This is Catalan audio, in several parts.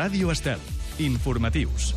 Ràdio Estel. Informatius.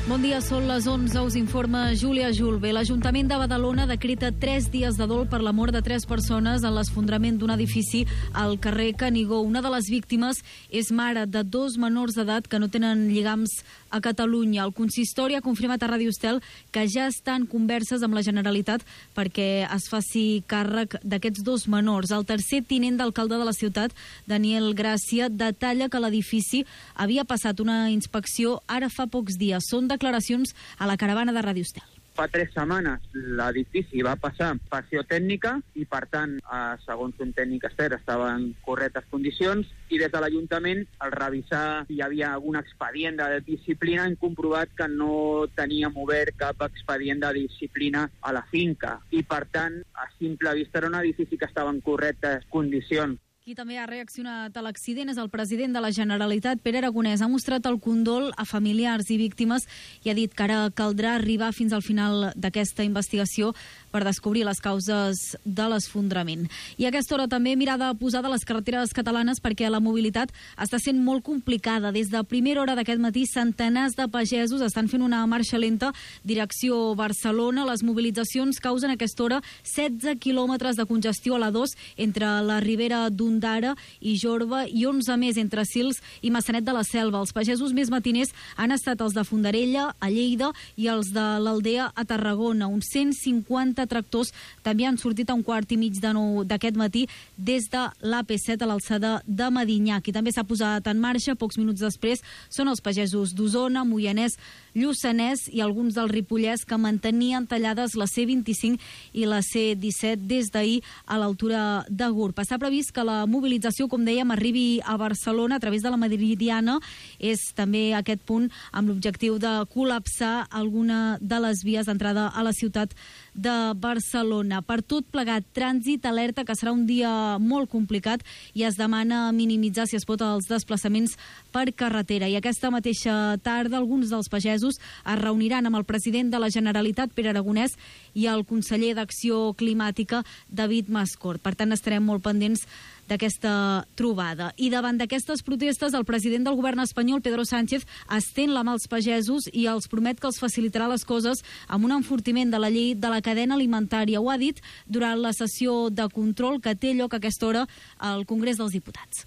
Bon dia, són les 11, us informa Júlia Julve. L'Ajuntament de Badalona decreta 3 dies de dol per la mort de 3 persones en l'esfondrament d'un edifici al carrer Canigó. Una de les víctimes és mare de 2 menors d'edat que no tenen lligams a Catalunya. El consistori ha confirmat a Ràdio Estel que ja estan converses amb la Generalitat perquè es faci càrrec d'aquests 2 menors. El tercer tinent d'alcalde de la ciutat, Daniel Gràcia, detalla que l'edifici havia passat una inspecció ara fa pocs dies. Són declaracions a la caravana de Ràdio Estel. Fa 3 setmanes l'edifici va passar inspecció tècnica i, per tant, segons un tècnic expert, estava en correctes condicions, i des de l'Ajuntament, al revisar si hi havia algun expedient de disciplina, hem comprovat que no teníem obert cap expedient de disciplina a la finca i, per tant, a simple vista era un edifici que estava en correctes condicions. Qui també ha reaccionat a l'accident és el president de la Generalitat, Pere Aragonès. Ha mostrat el condol a familiars i víctimes i ha dit que ara caldrà arribar fins al final d'aquesta investigació per descobrir les causes de l'esfondrament. I a aquesta hora també mirada posada a les carreteres catalanes perquè la mobilitat està sent molt complicada. Des de primera hora d'aquest matí, centenars de pagesos estan fent una marxa lenta direcció Barcelona. Les mobilitzacions causen a aquesta hora 16 quilòmetres de congestió a la 2 entre la Ribera d'Ondara i Jorba i 11 més entre Sils i Massanet de la Selva. Els pagesos més matiners han estat els de Fondarella, a Lleida, i els de l'Aldea a Tarragona. Uns 150 tractors també han sortit a 8:45 d'aquest matí des de l'AP7 a l'alçada de Medinyà. Qui també s'ha posat en marxa pocs minuts després són els pagesos d'Osona, Moianès, Lluçanès i alguns del Ripollès que mantenien tallades la C25 i la C17 des d'ahir a l'altura de Gurb. Està previst que la mobilització, com dèiem, arribi a Barcelona a través de la Meridiana. És també aquest punt amb l'objectiu de col·lapsar alguna de les vies d'entrada a la ciutat de Barcelona. Per tot plegat, trànsit alerta que serà un dia molt complicat i es demana minimitzar, si es pot, els desplaçaments per carretera. I aquesta mateixa tarda alguns dels pagesos es reuniran amb el president de la Generalitat, Pere Aragonès, i el conseller d'Acció Climàtica, David Mascort. Per tant, estarem molt pendents d'aquesta trobada. I davant d'aquestes protestes, el president del govern espanyol, Pedro Sánchez, estén la mà als pagesos i els promet que els facilitarà les coses amb un enfortiment de la llei de la cadena alimentària. Ho ha dit durant la sessió de control que té lloc a aquesta hora al Congrés dels Diputats.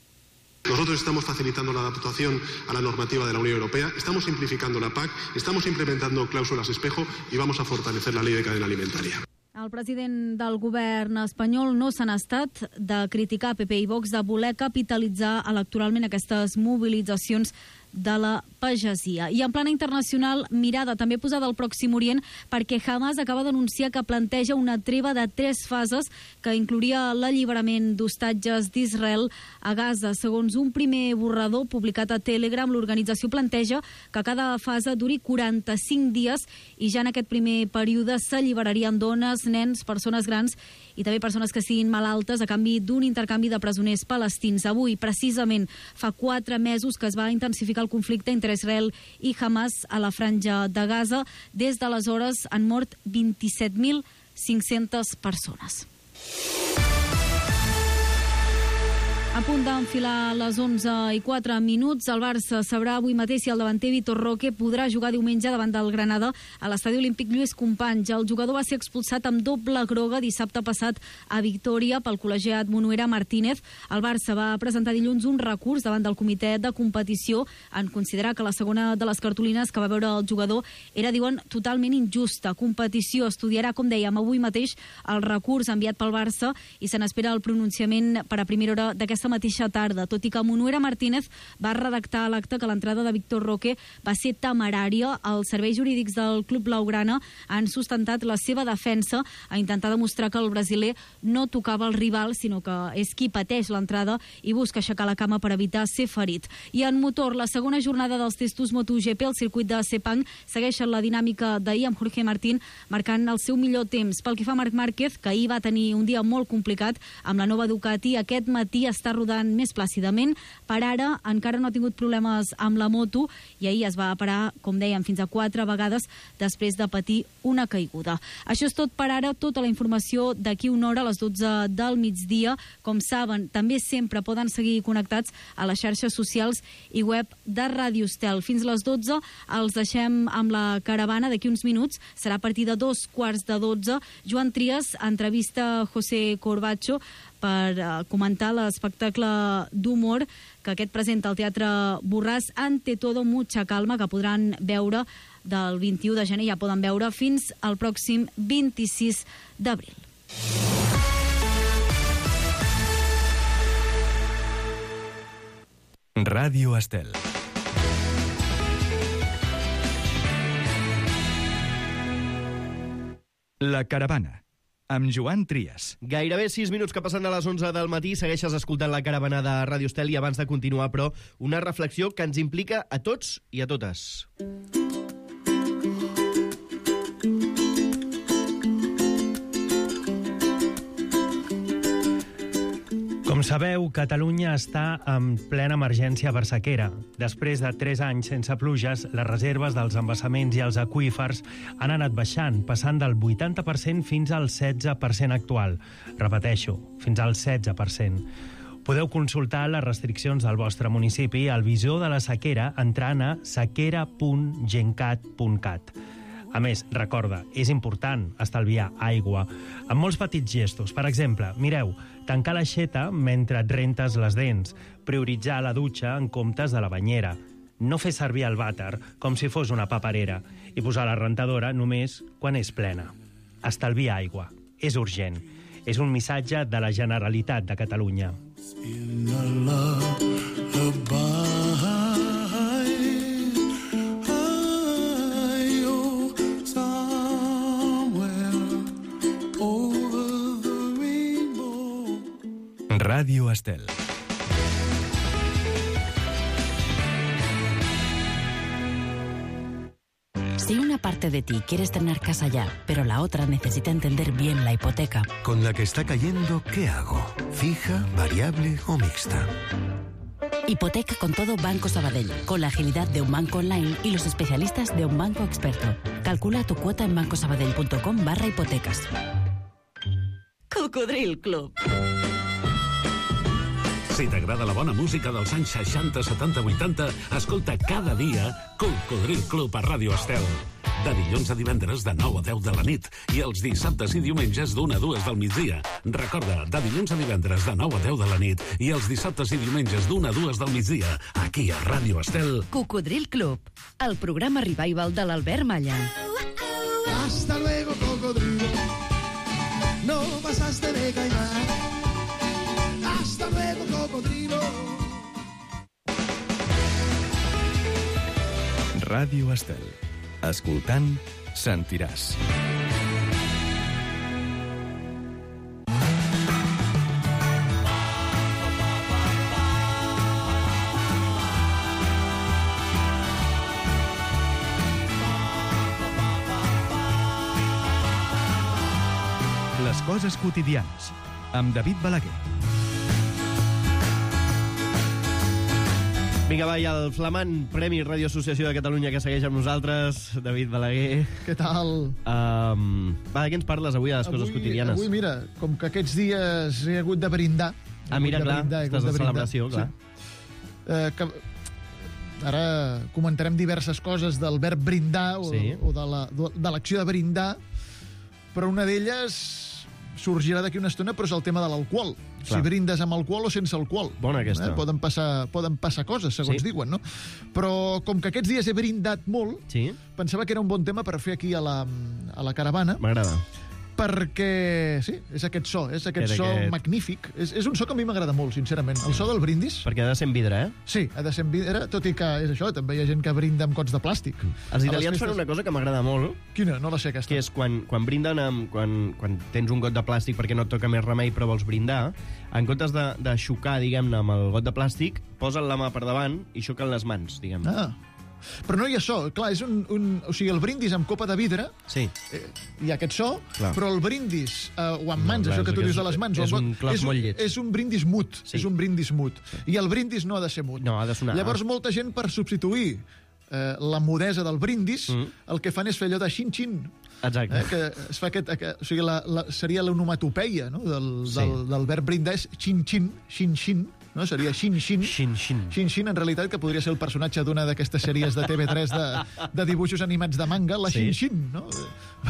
Nosotros estamos facilitando la adaptación a la normativa de la Unión Europea, estamos simplificando la PAC, estamos implementando cláusulas espejo y vamos a fortalecer la ley de cadena alimentaria. El president del govern espanyol no se n'ha estat de criticar PP i Vox de voler capitalitzar electoralment aquestes mobilitzacions de la pagesia. I en plana internacional, mirada també posada al Pròxim Orient perquè Hamas acaba d'anunciar que planteja una treva de 3 fases que inclouria l'alliberament d'hostatges d'Israel a Gaza. Segons un primer borrador publicat a Telegram, l'organització planteja que cada fase duri 45 dies i ja en aquest primer període s'alliberarien dones, nens, persones grans i també persones que siguin malaltes a canvi d'un intercanvi de presoners palestins. Avui, precisament, fa 4 mesos que es va intensificar el conflicte entre Israel i Hamas a la franja de Gaza. Des d'aleshores han mort 27.500 persones. A punt d'enfilar les 11:04. El Barça sabrà avui mateix si el davanter Vitor Roque podrà jugar diumenge davant del Granada a l'estadi olímpic Lluís Companys. El jugador va ser expulsat amb doble groga dissabte passat a Victòria pel col·legiat Monuera Martínez. El Barça va presentar dilluns un recurs davant del comitè de competició en considerar que la segona de les cartolines que va veure el jugador era, diuen, totalment injusta. Competició estudiarà, com dèiem, avui mateix el recurs enviat pel Barça i se n'espera el pronunciament per a primera hora d'aquesta mateixa tarda, tot i que Monuera Martínez va redactar a l'acte que l'entrada de Vitor Roque va ser temerària. Els serveis jurídics del club blaugrana han sustentat la seva defensa a intentar demostrar que el brasiler no tocava el rival, sinó que és qui pateix l'entrada i busca aixecar la cama per evitar ser ferit. I en motor, la segona jornada dels testos MotoGP al circuit de Sepang segueixen la dinàmica d'ahir amb Jorge Martín marcant el seu millor temps. Pel que fa a Marc Márquez, que ahir va tenir un dia molt complicat amb la nova Ducati, aquest matí està rodant més plàcidament. Per ara encara no ha tingut problemes amb la moto i ahir es va parar, com dèiem, fins a 4 vegades després de patir una caiguda. Això és tot per ara, tota la informació d'aquí una hora a les 12 del migdia. Com saben, també sempre poden seguir connectats a les xarxes socials i web de Ràdio Estel. Fins a les 12 els deixem amb la caravana. D'aquí uns minuts serà a partir de 11:45. Joan Trias entrevista José Corbacho per comentar l'espectacle d'humor que aquest presenta al Teatre Borràs, Ante todo mucha calma, que podran veure del 21 de gener, ja poden veure fins al pròxim 26 d'abril. Ràdio Estel. La caravana, amb Joan Trias. Gairebé 6 minuts que passen a les 11 del matí, segueixes escoltant la caravana de Ràdio Estel i abans de continuar, però, una reflexió que ens implica a tots i a totes. Com sabeu, Catalunya està en plena emergència per sequera. Després de 3 anys sense pluges, les reserves dels embassaments i els aqüífers han anat baixant, passant del 80% fins al 16% actual. Repeteixo, fins al 16%. Podeu consultar les restriccions del vostre municipi al visor de la sequera entrant a sequera.gencat.cat. A més, recorda, és important estalviar aigua amb molts petits gestos. Per exemple, mireu, tancar l'aixeta mentre et rentes les dents, prioritzar la dutxa en comptes de la banyera, no fer servir el vàter com si fos una paperera i posar la rentadora només quan és plena. Estalviar aigua. És urgent. És un missatge de la Generalitat de Catalunya. Ràdio Estel. Si una parte de ti quieres tener casa ya, pero la otra necesita entender bien la hipoteca. Con la que está cayendo, ¿qué hago? ¿Fija, variable o mixta? Hipoteca con todo Banco Sabadell, con la agilidad de un banco online y los especialistas de un banco experto. Calcula tu cuota en bancosabadell.com/hipotecas. Cocodril Club. Si t'agrada la bona música dels anys 60, 70, 80, escolta cada dia Cocodril Club a Ràdio Estel. De dilluns a divendres de 9 a 10 de la nit i els dissabtes i diumenges d'1 a 2 del migdia. Recorda, de dilluns a divendres de 9 a 10 de la nit i els dissabtes i diumenges d'1 a 2 del migdia, aquí a Ràdio Estel. Cocodril Club, el programa revival de l'Albert Malla. Hasta luego, cocodrilo. No pasaste de caimán. Hasta luego, cocodrilo. Ràdio Estel. Escoltant, sentiràs. Les coses quotidianes, amb David Balaguer. Vinga, va, i el flamant Premi Ràdio Associació de Catalunya que segueix amb nosaltres, David Balaguer. Què tal? Va, què ens parles avui a les coses quotidianes? Avui, mira, com que aquests dies he hagut de brindar... Mira, clar, estàs de celebració, clar. Sí. Ara comentarem diverses coses del verb brindar o de l'acció de brindar, però una d'elles sorgirà d'aquí una estona, però és el tema de l'alcohol. Si brindes amb alcohol o sense alcohol. Bona aquesta. Poden passar coses, segons diuen, no? Però com que aquests dies he brindat molt, pensava que era un bon tema per fer aquí a la caravana. M'agrada. Perquè, sí, és aquest so magnífic. És un so que a mi m'agrada molt, sincerament. El so del brindis. Perquè ha de ser en vidre, eh? Sí, ha de ser en vidre, tot i que és això, també hi ha gent que brinda amb gots de plàstic. Els italians fan una cosa que m'agrada molt. Quina? No la sé, aquesta. Que és quan brinden quan tens un got de plàstic perquè no et toca més remei però vols brindar, en comptes de xocar, diguem-ne, amb el got de plàstic, posen la mà per davant i xoquen les mans, diguem-ne. Però no hi ha so. Clar, és o sigui, el brindis amb copa de vidre, sí. Hi ha aquest so, clar. Però el brindis o amb mans, això que tu dius de les mans, és un clos molt lleig. És un brindis mut. Sí. És un brindis mut. Sí. I el brindis no ha de ser mut. No, ha de sonar. Llavors, molta gent, per substituir la mudesa del brindis, el que fan és fer allò de xin-xin. Exacte. Que es fa o sigui, seria l'onomatopeia, no? del verb brindar és xin-xin, xin-xin, no? Seria xin-xin. Xin-xin. Xin-xin, en realitat, que podria ser el personatge d'una d'aquestes sèries de TV3 de dibuixos animats de manga, la Xin-xin, no?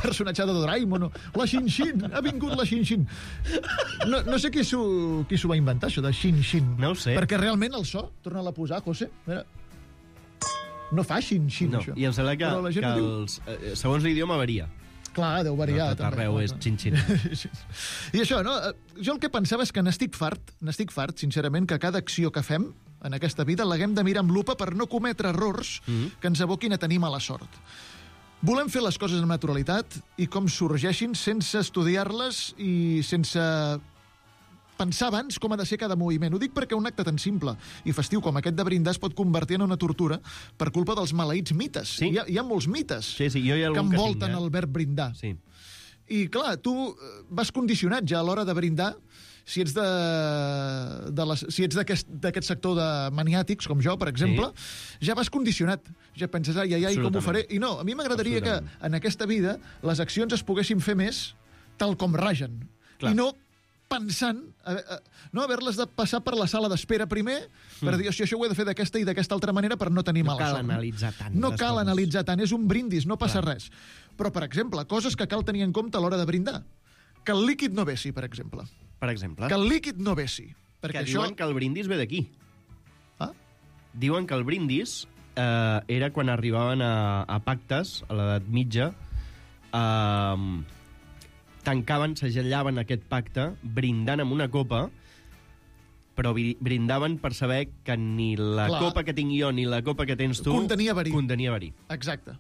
Personatge de Doraemon, no? La Xin-xin, ha vingut la Xin-xin. No sé qui s'ho va inventar, això de Xin-xin. No ho sé. Perquè realment el so, torna-la a posar, José, mira, no fa xin-xin, no, això. I em sembla que segons l'idioma varia. Clar, deu variar. Tot arreu és xin-xin. I això, no? Jo el que pensava és que n'estic fart, sincerament, que cada acció que fem en aquesta vida l'haguem de mirar amb lupa per no cometre errors que ens aboquin a tenir mala sort. Volem fer les coses amb naturalitat i com sorgeixin sense estudiar-les i sense pensar abans com ha de ser cada moviment. Ho dic perquè un acte tan simple i festiu com aquest de brindar es pot convertir en una tortura per culpa dels maleïts mites. Sí. Hi ha molts mites que envolten el verb brindar. Sí. I, clar, tu vas condicionat ja a l'hora de brindar si ets d'aquest sector de maniàtics, com jo, per exemple, ja vas condicionat. Ja penses, ai, com ho faré? I no, a mi m'agradaria que en aquesta vida les accions es poguessin fer més tal com ragen. Clar. I no pensant, no haver-les de passar per la sala d'espera primer, per dir, això ho he de fer d'aquesta i d'aquesta altra manera per no tenir mala sort. No cal analitzar tant. No cal analitzar tant, és un brindis, no passa res. Però, per exemple, coses que cal tenir en compte a l'hora de brindar. Que el líquid no vessi, per exemple. Per exemple? Que el líquid no vessi. Que diuen que el brindis ve d'aquí. Ah? Diuen que el brindis era quan arribaven a pactes, a l'edat mitja, tancaven, segellaven aquest pacte brindant amb una copa, però brindaven per saber que ni la copa que tinc jo ni la copa que tens tu contenia verí. Exacte.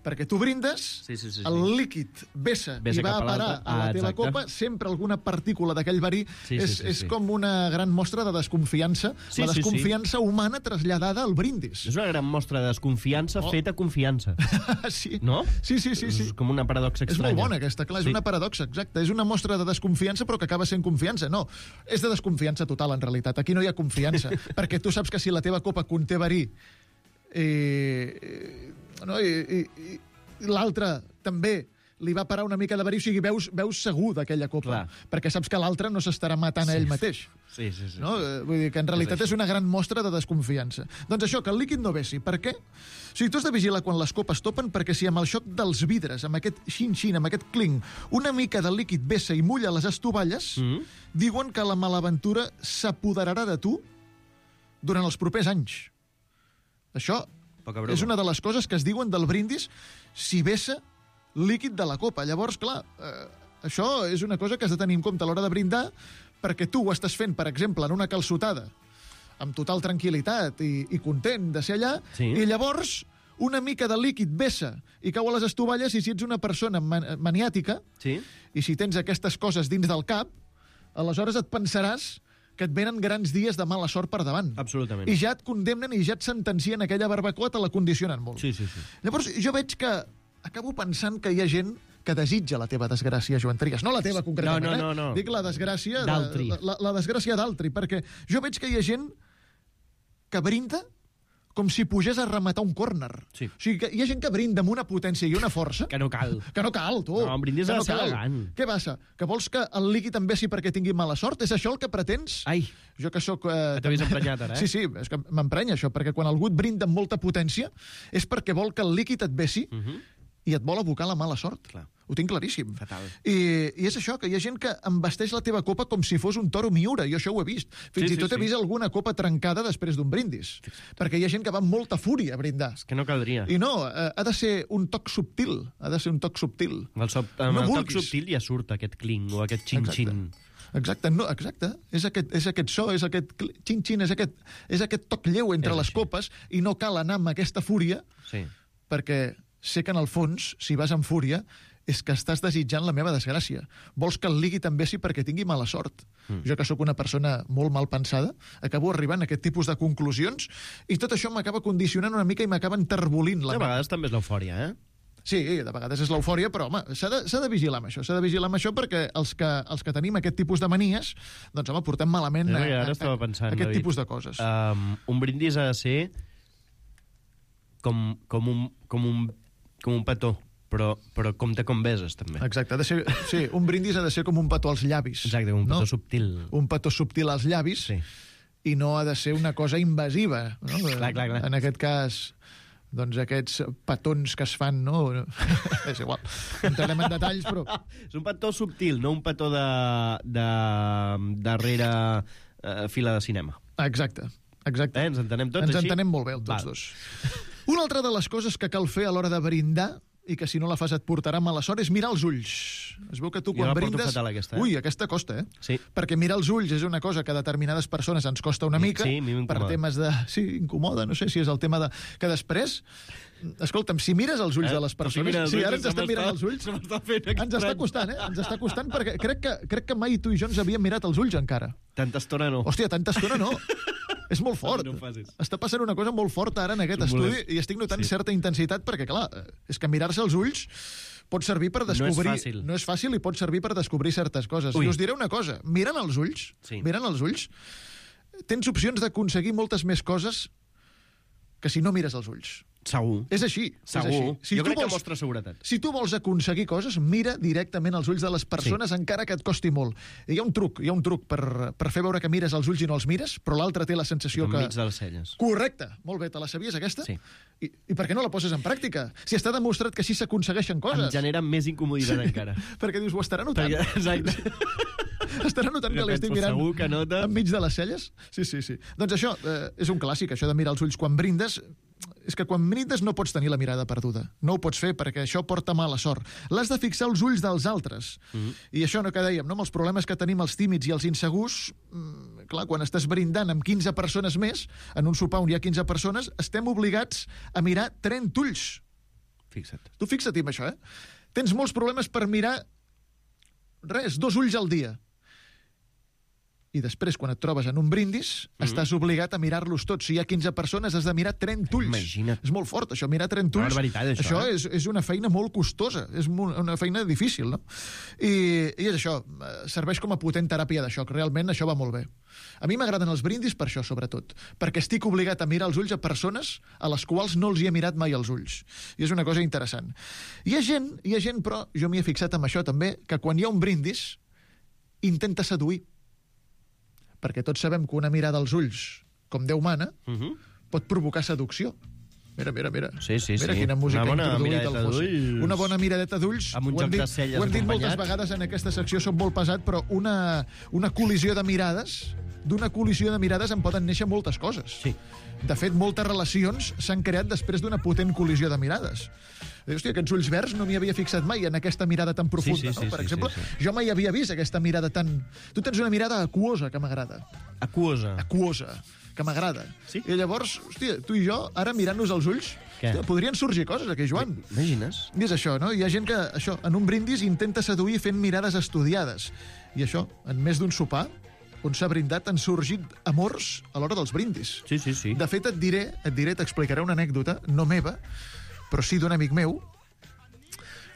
Perquè tu brindes, el líquid vessa i va a parar a la teva copa, sempre alguna partícula d'aquell verí és com una gran mostra de desconfiança, la desconfiança humana traslladada al brindis. És una gran mostra de desconfiança feta confiança. Sí. No? Sí. És com una paradoxa estranya. És molt bona aquesta, clar, és una paradoxa, exacte. És una mostra de desconfiança però que acaba sent confiança. No, és de desconfiança total, en realitat. Aquí no hi ha confiança, perquè tu saps que si la teva copa conté verí i l'altre també li va parar una mica de verí, o sigui, veus segur d'aquella copa, perquè saps que l'altre no s'estarà matant a ell mateix. Sí. No? Vull dir que en realitat és una gran mostra de desconfiança. Doncs això, que el líquid no vessi. Per què? O sigui, tu has de vigilar quan les copes topen, perquè si amb el xoc dels vidres, amb aquest xin-xin, amb aquest clink, una mica de líquid vessa i mulla les estovalles, diuen que la malaventura s'apoderarà de tu durant els propers anys. Això és una de les coses que es diuen del brindis si vessa líquid de la copa. Llavors, clar, això és una cosa que has de tenir en compte a l'hora de brindar, perquè tu ho estàs fent, per exemple, en una calçotada, amb total tranquil·litat i content de ser allà, i llavors una mica de líquid vessa i cau a les estovalles, i si ets una persona maniàtica, i si tens aquestes coses dins del cap, aleshores et pensaràs que et venen grans dies de mala sort per davant. Absolutament. I ja et condemnen i ja et sentencien aquella barbacoa, te la condicionen molt. Sí. Llavors, jo veig que acabo pensant que hi ha gent que desitja la teva desgràcia, Joan Trias. No la teva, concretament, no. Dic la desgràcia d'altri. La desgràcia d'altri, perquè jo veig que hi ha gent que brinda com si pugés a rematar un córner. Sí. O sigui, que hi ha gent que brinda amb una potència i una força... Que no cal. Que no cal, tu. No, un brindis ha de ser elegant. Què passa? Que vols que el líquid em vessi perquè tingui mala sort? És això el que pretens? Ai, jo que sóc... t'ho havies emprenyat ara, Sí, és que m'emprenya això, perquè quan algú et brinda amb molta potència és perquè vol que el líquid et vessi i et vol abocar la mala sort. Clar. Ho tinc claríssim. Fatal. I és això, que hi ha gent que embesteix la teva copa com si fos un toro Miura. Jo això ho he vist. Fins i tot he vist alguna copa trencada després d'un brindis. Perquè hi ha gent que va amb molta fúria a brindar. És que no caldria. I no, ha de ser un toc subtil. Ha de ser un toc subtil. Amb el toc subtil ja surt aquest cling o aquest xin-xin. Exacte, és aquest so, és aquest xin-xin, és aquest toc lleu entre les copes, i no cal anar amb aquesta fúria, perquè sé que en el fons, si vas amb fúria, és que estàs desitjant la meva desgràcia. Vols que el ligui també sí perquè tingui mala sort. Jo, que sóc una persona molt mal pensada, acabo arribant a aquest tipus de conclusions i tot això m'acaba condicionant una mica i m'acaba enterbolint la A ment. vegades també és l'eufòria, eh? Sí, de vegades és l'eufòria, però, home, s'ha de vigilar amb això. S'ha de vigilar amb això perquè els que tenim aquest tipus de manies, doncs, home, portem malament Ara estava pensant, aquest David, tipus de coses. Un brindis ha de ser com un petó, però compte com beses, també. Exacte, ha de ser, sí, un brindis ha de ser com un petó als llavis. Exacte, un petó subtil. Un petó subtil als llavis, Sí. i no ha de ser una cosa invasiva. No? Clar. En aquest cas, doncs aquests petons que es fan, no? És igual, no entrarem en detalls, però... És un petó subtil, no un petó de darrere fila de cinema. Exacte. Ens entenem tots Ens així? entenem molt bé, tots dos. Una altra de les coses que cal fer a l'hora de brindar i que si no la fas et portarà mala sort és mirar els ulls. Es veu que tu Jo quan la porto brindes... fatal, aquesta, eh? Ui, aquesta costa, eh? Sí. Perquè mirar els ulls és una cosa que a determinades persones ens costa una mica. Sí, a mi m'incomoda. Per temes de... Sí, incomoda, no sé si és el tema de... Que després... Escolta'm, si mires els ulls de les persones... Sí, ara ens estem mirant els ulls. Ens està costant, eh? Ens està costant perquè crec que mai tu i jo ens havíem mirat els ulls encara. Tanta estona no. Hòstia, tanta estona no. És molt fort. No ho facis. Està passant una cosa molt forta ara en aquest estudi i estic notant certa intensitat perquè, clar, és que mirar-se els ulls pot servir per descobrir... No és fàcil. No és fàcil i pot servir per descobrir certes coses. Ui. I us diré una cosa. Mirant els ulls, tens opcions d'aconseguir moltes més coses que si no mires els ulls. Segur. És així. Segur. Si jo tu crec que vols- mostra seguretat. Si tu vols aconseguir coses, mira directament als ulls de les persones, encara que et costi molt. I hi ha un truc per fer veure que mires els ulls i no els mires, però l'altre té la sensació que... Enmig de les celles. Correcte. Molt bé, te la sabies, aquesta? Sí. I per què no la poses en pràctica? Si està demostrat que així s'aconsegueixen coses. Em genera més incomoditat encara. Perquè dius, ho estarà notant. Exacte. Estarà notant que l'estic Però mirant segur que nota. enmig de les celles? Sí. Doncs això és un clàssic, això de mirar els ulls quan brindes. És que quan brindes no pots tenir la mirada perduda. No ho pots fer perquè això porta mala sort. L'has de fixar els ulls dels altres. I això no que dèiem, no? Amb els problemes que tenim els tímids i els insegurs, clar, quan estàs brindant amb 15 persones més, en un sopar on hi ha 15 persones, estem obligats a mirar 30 ulls. Fixa't. Tu fixa't amb això, Tens molts problemes per mirar 2 ulls al dia. I després, quan et trobes en un brindis, estàs obligat a mirar-los tots. Si hi ha 15 persones, has de mirar 30 ulls. Imagina't. És molt fort, això, mirar 30 ulls. Barbaritat, això, és una feina molt costosa, és una feina difícil, no? I és això, serveix com a potent teràpia de xoc. Realment, això va molt bé. A mi m'agraden els brindis per això, sobretot, perquè estic obligat a mirar els ulls a persones a les quals no els hi he mirat mai els ulls. I és una cosa interessant. Hi ha gent, però jo m'hi he fixat amb això també, que quan hi ha un brindis, intenta seduir. Perquè tots sabem que una mirada als ulls, com Déu mana, pot provocar seducció. Mira. Sí. Mira quina música Una bona ha introduït miradeta el José. d'ulls. Una bona miradeta d'ulls. Amb un Ho hem joc de dit- celles Ho hem dit moltes acompanyat. vegades en aquesta secció, som molt pesat, però una col·lisió de mirades, d'una col·lisió de mirades en poden néixer moltes coses. Sí. De fet, moltes relacions s'han creat després d'una potent col·lisió de mirades. Hòstia, aquests ulls verds no m'hi havia fixat mai en aquesta mirada tan profunda, Sí, no? Per exemple, sí. jo mai havia vist aquesta mirada tan... Tu tens una mirada aquosa que m'agrada. Aquosa. Aquosa, que m'agrada. Sí? I llavors, hòstia, tu i jo, ara mirant-nos als ulls, Què? hòstia, podrien sorgir coses aquí, Joan. Imagines? I és això, no? Hi ha gent que, això, en un brindis intenta seduir fent mirades estudiades. I això, en més d'un sopar, on s'ha brindat, han sorgit amors a l'hora dels brindis. Sí. De fet, t'explicaré una anècdota, no meva, però sí d'un amic meu.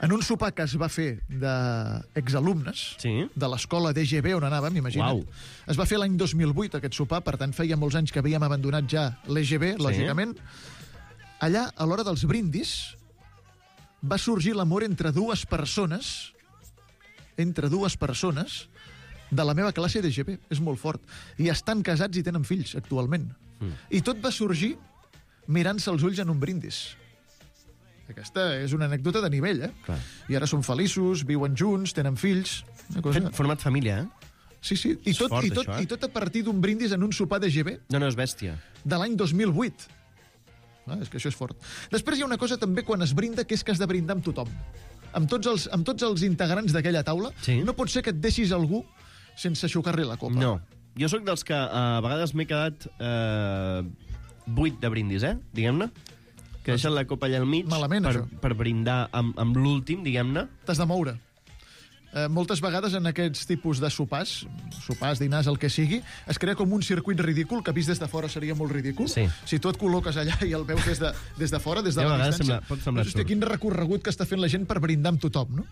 En un sopar que es va fer d'exalumnes de l'escola DGB on anàvem, imagina't. Uau. Es va fer l'any 2008, aquest sopar, per tant, feia molts anys que havíem abandonat ja l'EGB, lògicament. Allà, a l'hora dels brindis, va sorgir l'amor entre dues persones de la meva classe d'EGB. És molt fort. I estan casats i tenen fills, actualment. I tot va sorgir mirant-se els ulls en un brindis. Aquesta és una anècdota de nivell, Clar. I ara són feliços, viuen junts, tenen fills... Una cosa... Format família, Sí. I tot, fort, això, això, I tot a partir d'un brindis en un sopar d'EGB No, és bèstia. de l'any 2008. És que això és fort. Després hi ha una cosa també quan es brinda, que és que has de brindar amb tothom. Amb tots els integrants d'aquella taula. Sí. No pot ser que et deixis algú sense aixucar-li la copa. No. Jo sóc dels que a vegades m'he quedat buit de brindis, diguem-ne. que deixen la copa allà al mig per brindar amb l'últim, diguem-ne. T'has de moure. Moltes vegades en aquests tipus de sopars, dinars, el que sigui, es crea com un circuit ridícul, que vist des de fora seria molt ridícul. Sí. Si tu et col·loques allà i el veus des de fora, des de la distància, pot semblar hòstia, quin recorregut que està fent la gent per brindar amb tothom, no?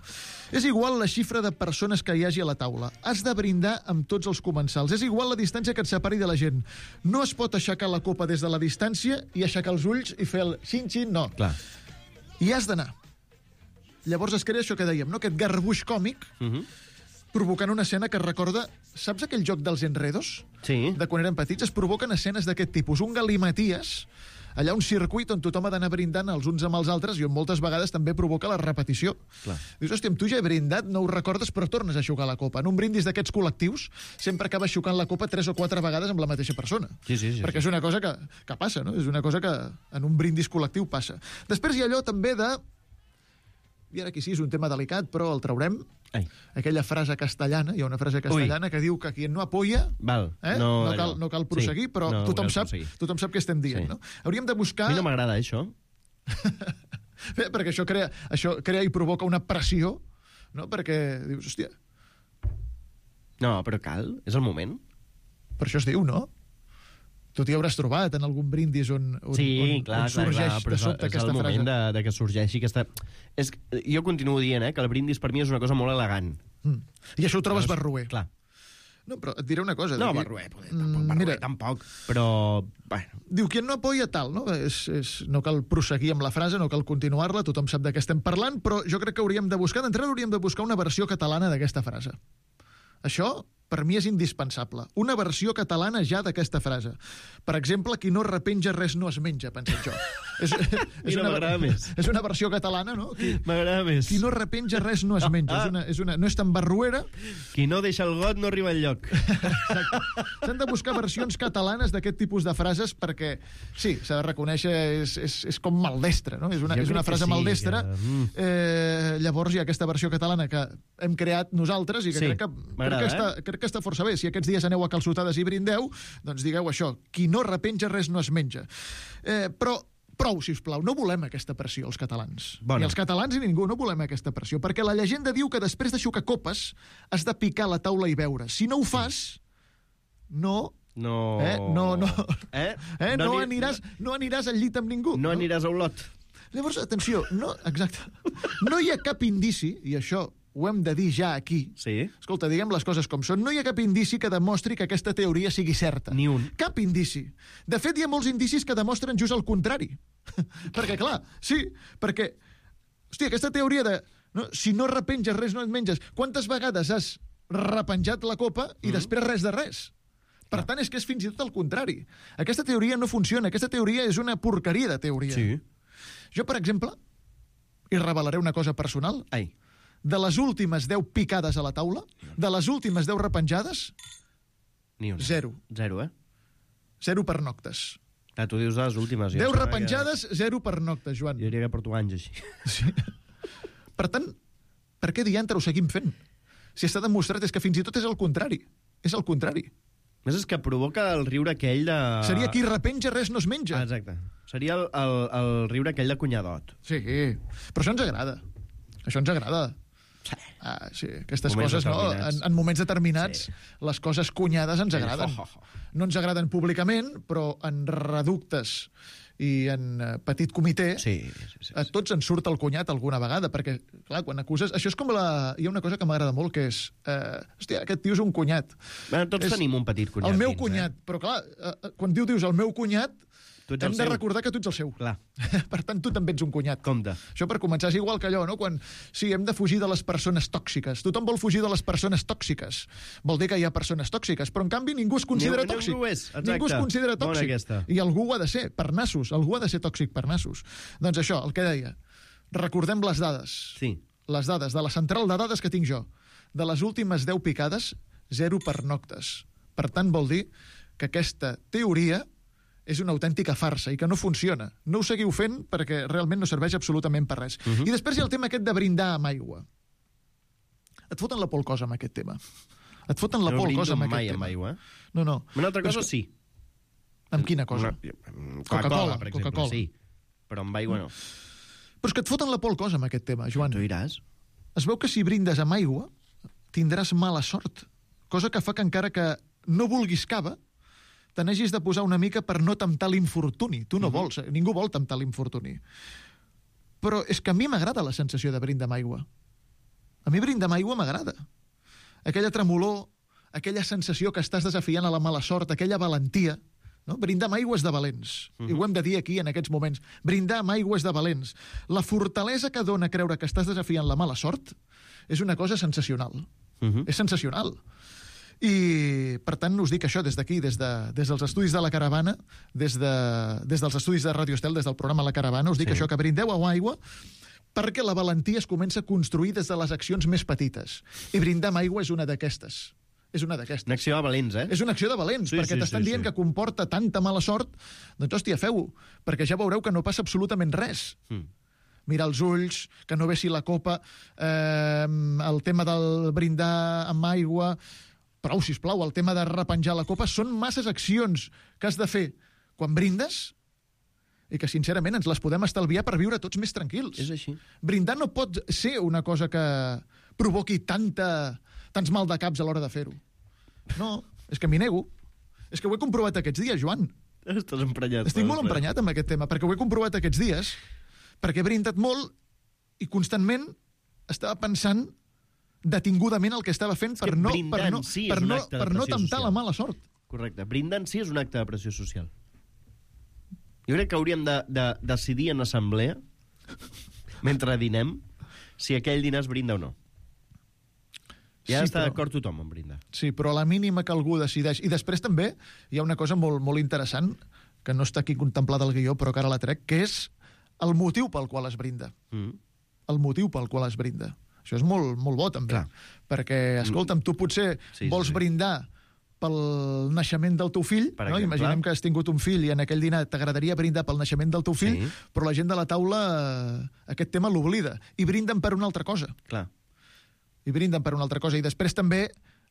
És igual la xifra de persones que hi hagi a la taula. Has de brindar amb tots els comensals. És igual la distància que et separi de la gent. No es pot aixecar la copa des de la distància i aixecar els ulls i fer el xin-xin, no. Clar. I has d'anar. Llavors es crea això que dèiem, no? Aquest garbuix còmic provocant una escena que recorda... Saps aquell joc dels enredos? Sí. De quan eren petits? Es provoquen escenes d'aquest tipus. Un galimaties, allà un circuit on tothom ha d'anar brindant els uns amb els altres i on moltes vegades també provoca la repetició. Clar. Dius, hòstia, amb tu ja he brindat, no ho recordes, però tornes a xucar la copa. En un brindis d'aquests col·lectius sempre acabes xucant la copa 3 o 4 vegades amb la mateixa persona. Sí. Perquè és una cosa que passa, no? És una cosa que en un brindis col·lectiu passa. Després hi ha allò també de... I ara aquí sí, és un tema delicat, però el traurem. Aquella frase castellana, hi ha una frase castellana que diu que qui no apoya no cal prosseguir, però tothom sap què estem dient. No? Hauríem de buscar... A mi no m'agrada, això. Perquè això crea i provoca una pressió, no? Perquè dius, hòstia... No, però cal, és el moment. Per això es diu, no? Tu t'hi hauràs trobat en algun brindis on sorgeix de sobte aquesta frase. És el moment de que sorgeixi aquesta... Jo continuo dient que el brindis per mi és una cosa molt elegant. I això ho trobes barroer. Clar. No, però et diré una cosa. No, barroer tampoc, però... Bueno. Diu, qui no apoya tal, no? No cal prosseguir amb la frase, no cal continuar-la, tothom sap de què estem parlant, però jo crec que hauríem de buscar, d'entrada hauríem de buscar una versió catalana d'aquesta frase. Això... per mi és indispensable. Una versió catalana ja d'aquesta frase. Per exemple, qui no repenja res no es menja, penso jo. M'agrada més. És una versió catalana, no? M'agrada més. Qui no repenja res no es menja. No és tan barruera. Qui no deixa el got no arriba enlloc. Exacte. S'han de buscar versions catalanes d'aquest tipus de frases perquè, sí, s'ha de reconèixer, és com maldestra, no? És una frase maldestra. Llavors hi ha aquesta versió catalana que hem creat nosaltres i que crec que està força bé. Si aquests dies aneu a calçotades i brindeu, doncs digueu això, qui no repenja res no es menja. Però prou, sisplau, no volem aquesta pressió, els catalans. Ni els catalans ni ningú no volem aquesta pressió, perquè la llegenda diu que després de xucar copes has de picar la taula i beure. Si no ho fas, no aniràs al llit amb ningú. No aniràs a Olot. Llavors, atenció, no hi ha cap indici, i això ho hem de dir ja aquí. Sí. Escolta, diguem les coses com són. No hi ha cap indici que demostri que aquesta teoria sigui certa. Ni un. Cap indici. De fet, hi ha molts indicis que demostren just el contrari. Perquè, clar, sí, perquè... Hòstia, aquesta teoria de... No, si no repenges res, no et menges. Quantes vegades has repenjat la copa i després res de res? Per tant, és que és fins i tot el contrari. Aquesta teoria no funciona. Aquesta teoria és una porqueria de teoria. Sí. Jo, per exemple, i revelaré una cosa personal... De les últimes 10 picades a la taula, de les últimes 10 repenjades, ni una. 0. 0, 0 per noctes. Tu dius les últimes. 10 repenjades, 0 per noctes, Joan. Jo diria que porto anys així. Sí. Per tant, per què diantre ho seguim fent? Si està demostrat és que fins i tot és el contrari. És el contrari. Més és que provoca el riure aquell de... Seria qui repenja res no es menja. Exacte. Seria el riure aquell de cunyadot. Sí, però això ens agrada. Això ens agrada. Sí, aquestes coses, no? En moments determinats, les coses cunyades ens agraden. No ens agraden públicament, però en reductes i en petit comitè, a tots ens surt el cunyat alguna vegada, perquè, clar, quan acuses... Això és com Hi ha una cosa que m'agrada molt, que és... Hòstia, aquest tio és un cunyat. Tots tenim un petit cunyat. El meu cunyat, però clar, quan dius el meu cunyat, hem de recordar que tu ets el seu. Clar. Per tant, tu també ets un cunyat. Compte. Això per començar és igual que allò, no? Quan, sí, hem de fugir de les persones tòxiques. Tothom vol fugir de les persones tòxiques. Vol dir que hi ha persones tòxiques, però en canvi ningú es considera tòxic. Ningú es considera tòxic. I algú ho ha de ser, per nassos. Algú ha de ser tòxic per nassos. Doncs això, el que deia. Recordem les dades. Sí. Les dades, de la central de dades que tinc jo. De les últimes 10 picades, 0 per noctes. Per tant, vol dir que aquesta teoria és una autèntica farsa i que no funciona. No ho seguiu fent perquè realment no serveix absolutament per res. I després hi ha el tema aquest de brindar amb aigua. Et foten la pol cosa amb aquest tema. Et foten la pol cosa amb aquest tema. Amb aigua. No. Una altra cosa, sí. Amb quina cosa? Coca-Cola, per exemple, Coca-Cola. sí. però amb aigua no. Però és que et foten la por al cos amb aquest tema, Joan. Tu diràs. Es veu que si brindes amb aigua tindràs mala sort, cosa que fa que encara que no vulguis cava, te n'hagis de posar una mica per no temptar l'infortuni. Tu no vols, ningú vol temptar l'infortuni. Però és que a mi m'agrada la sensació de brindar amb aigua. A mi brindar amb aigua m'agrada. Aquella tremolor, aquella sensació que estàs desafiant a la mala sort, aquella valentia. No? Brindar amb aigua és de valents. I ho hem de dir aquí en aquests moments. Brindar amb aigua és de valents. La fortalesa que dona creure que estàs desafiant la mala sort és una cosa sensacional. És sensacional. I, per tant, us dic això des d'aquí, des dels estudis de La Caravana, des dels estudis de Ràdio Estel, des del programa La Caravana, us dic això, que brindeu amb aigua perquè la valentia es comença a construir des de les accions més petites. I brindar amb aigua és una d'aquestes. És una d'aquestes. Una acció de valents, eh? És una acció de valents, perquè t'estan dient que comporta tanta mala sort, doncs, hòstia, feu-ho, perquè ja veureu que no passa absolutament res. Mirar els ulls, que no vessi la copa, el tema del brindar amb aigua, prou, sisplau, el tema de repenjar la copa, són masses accions que has de fer quan brindes i que, sincerament, ens les podem estalviar per viure tots més tranquils. És així. Brindar no pot ser una cosa que provoqui tants mal de caps a l'hora de fer-ho. No, és que m'hi nego. És que ho he comprovat aquests dies, Joan. Estàs emprenyat. Estic molt emprenyat amb aquest tema, perquè ho he comprovat aquests dies, perquè he brindat molt i constantment estava pensant detingudament el que estava fent per no temptar la mala sort. Correcte. Brindar en si és un acte de pressió social. Jo crec que hauríem de decidir en assemblea, mentre dinem, si aquell dinar es brinda o no. Ja està d'acord tothom en brindar. Sí, però a la mínima que algú decideix... I després també hi ha una cosa molt, molt interessant, que no està aquí contemplada al guió, però que ara la trec, que és el motiu pel qual es brinda. El motiu pel qual es brinda. Això és molt, molt bo, també. Clar. Perquè, escolta'm, tu potser vols brindar pel naixement del teu fill, no? Imaginem que has tingut un fill i en aquell dinar t'agradaria brindar pel naixement del teu fill, però la gent de la taula aquest tema l'oblida i brinden per una altra cosa. Clar. I brinden per una altra cosa. I després també,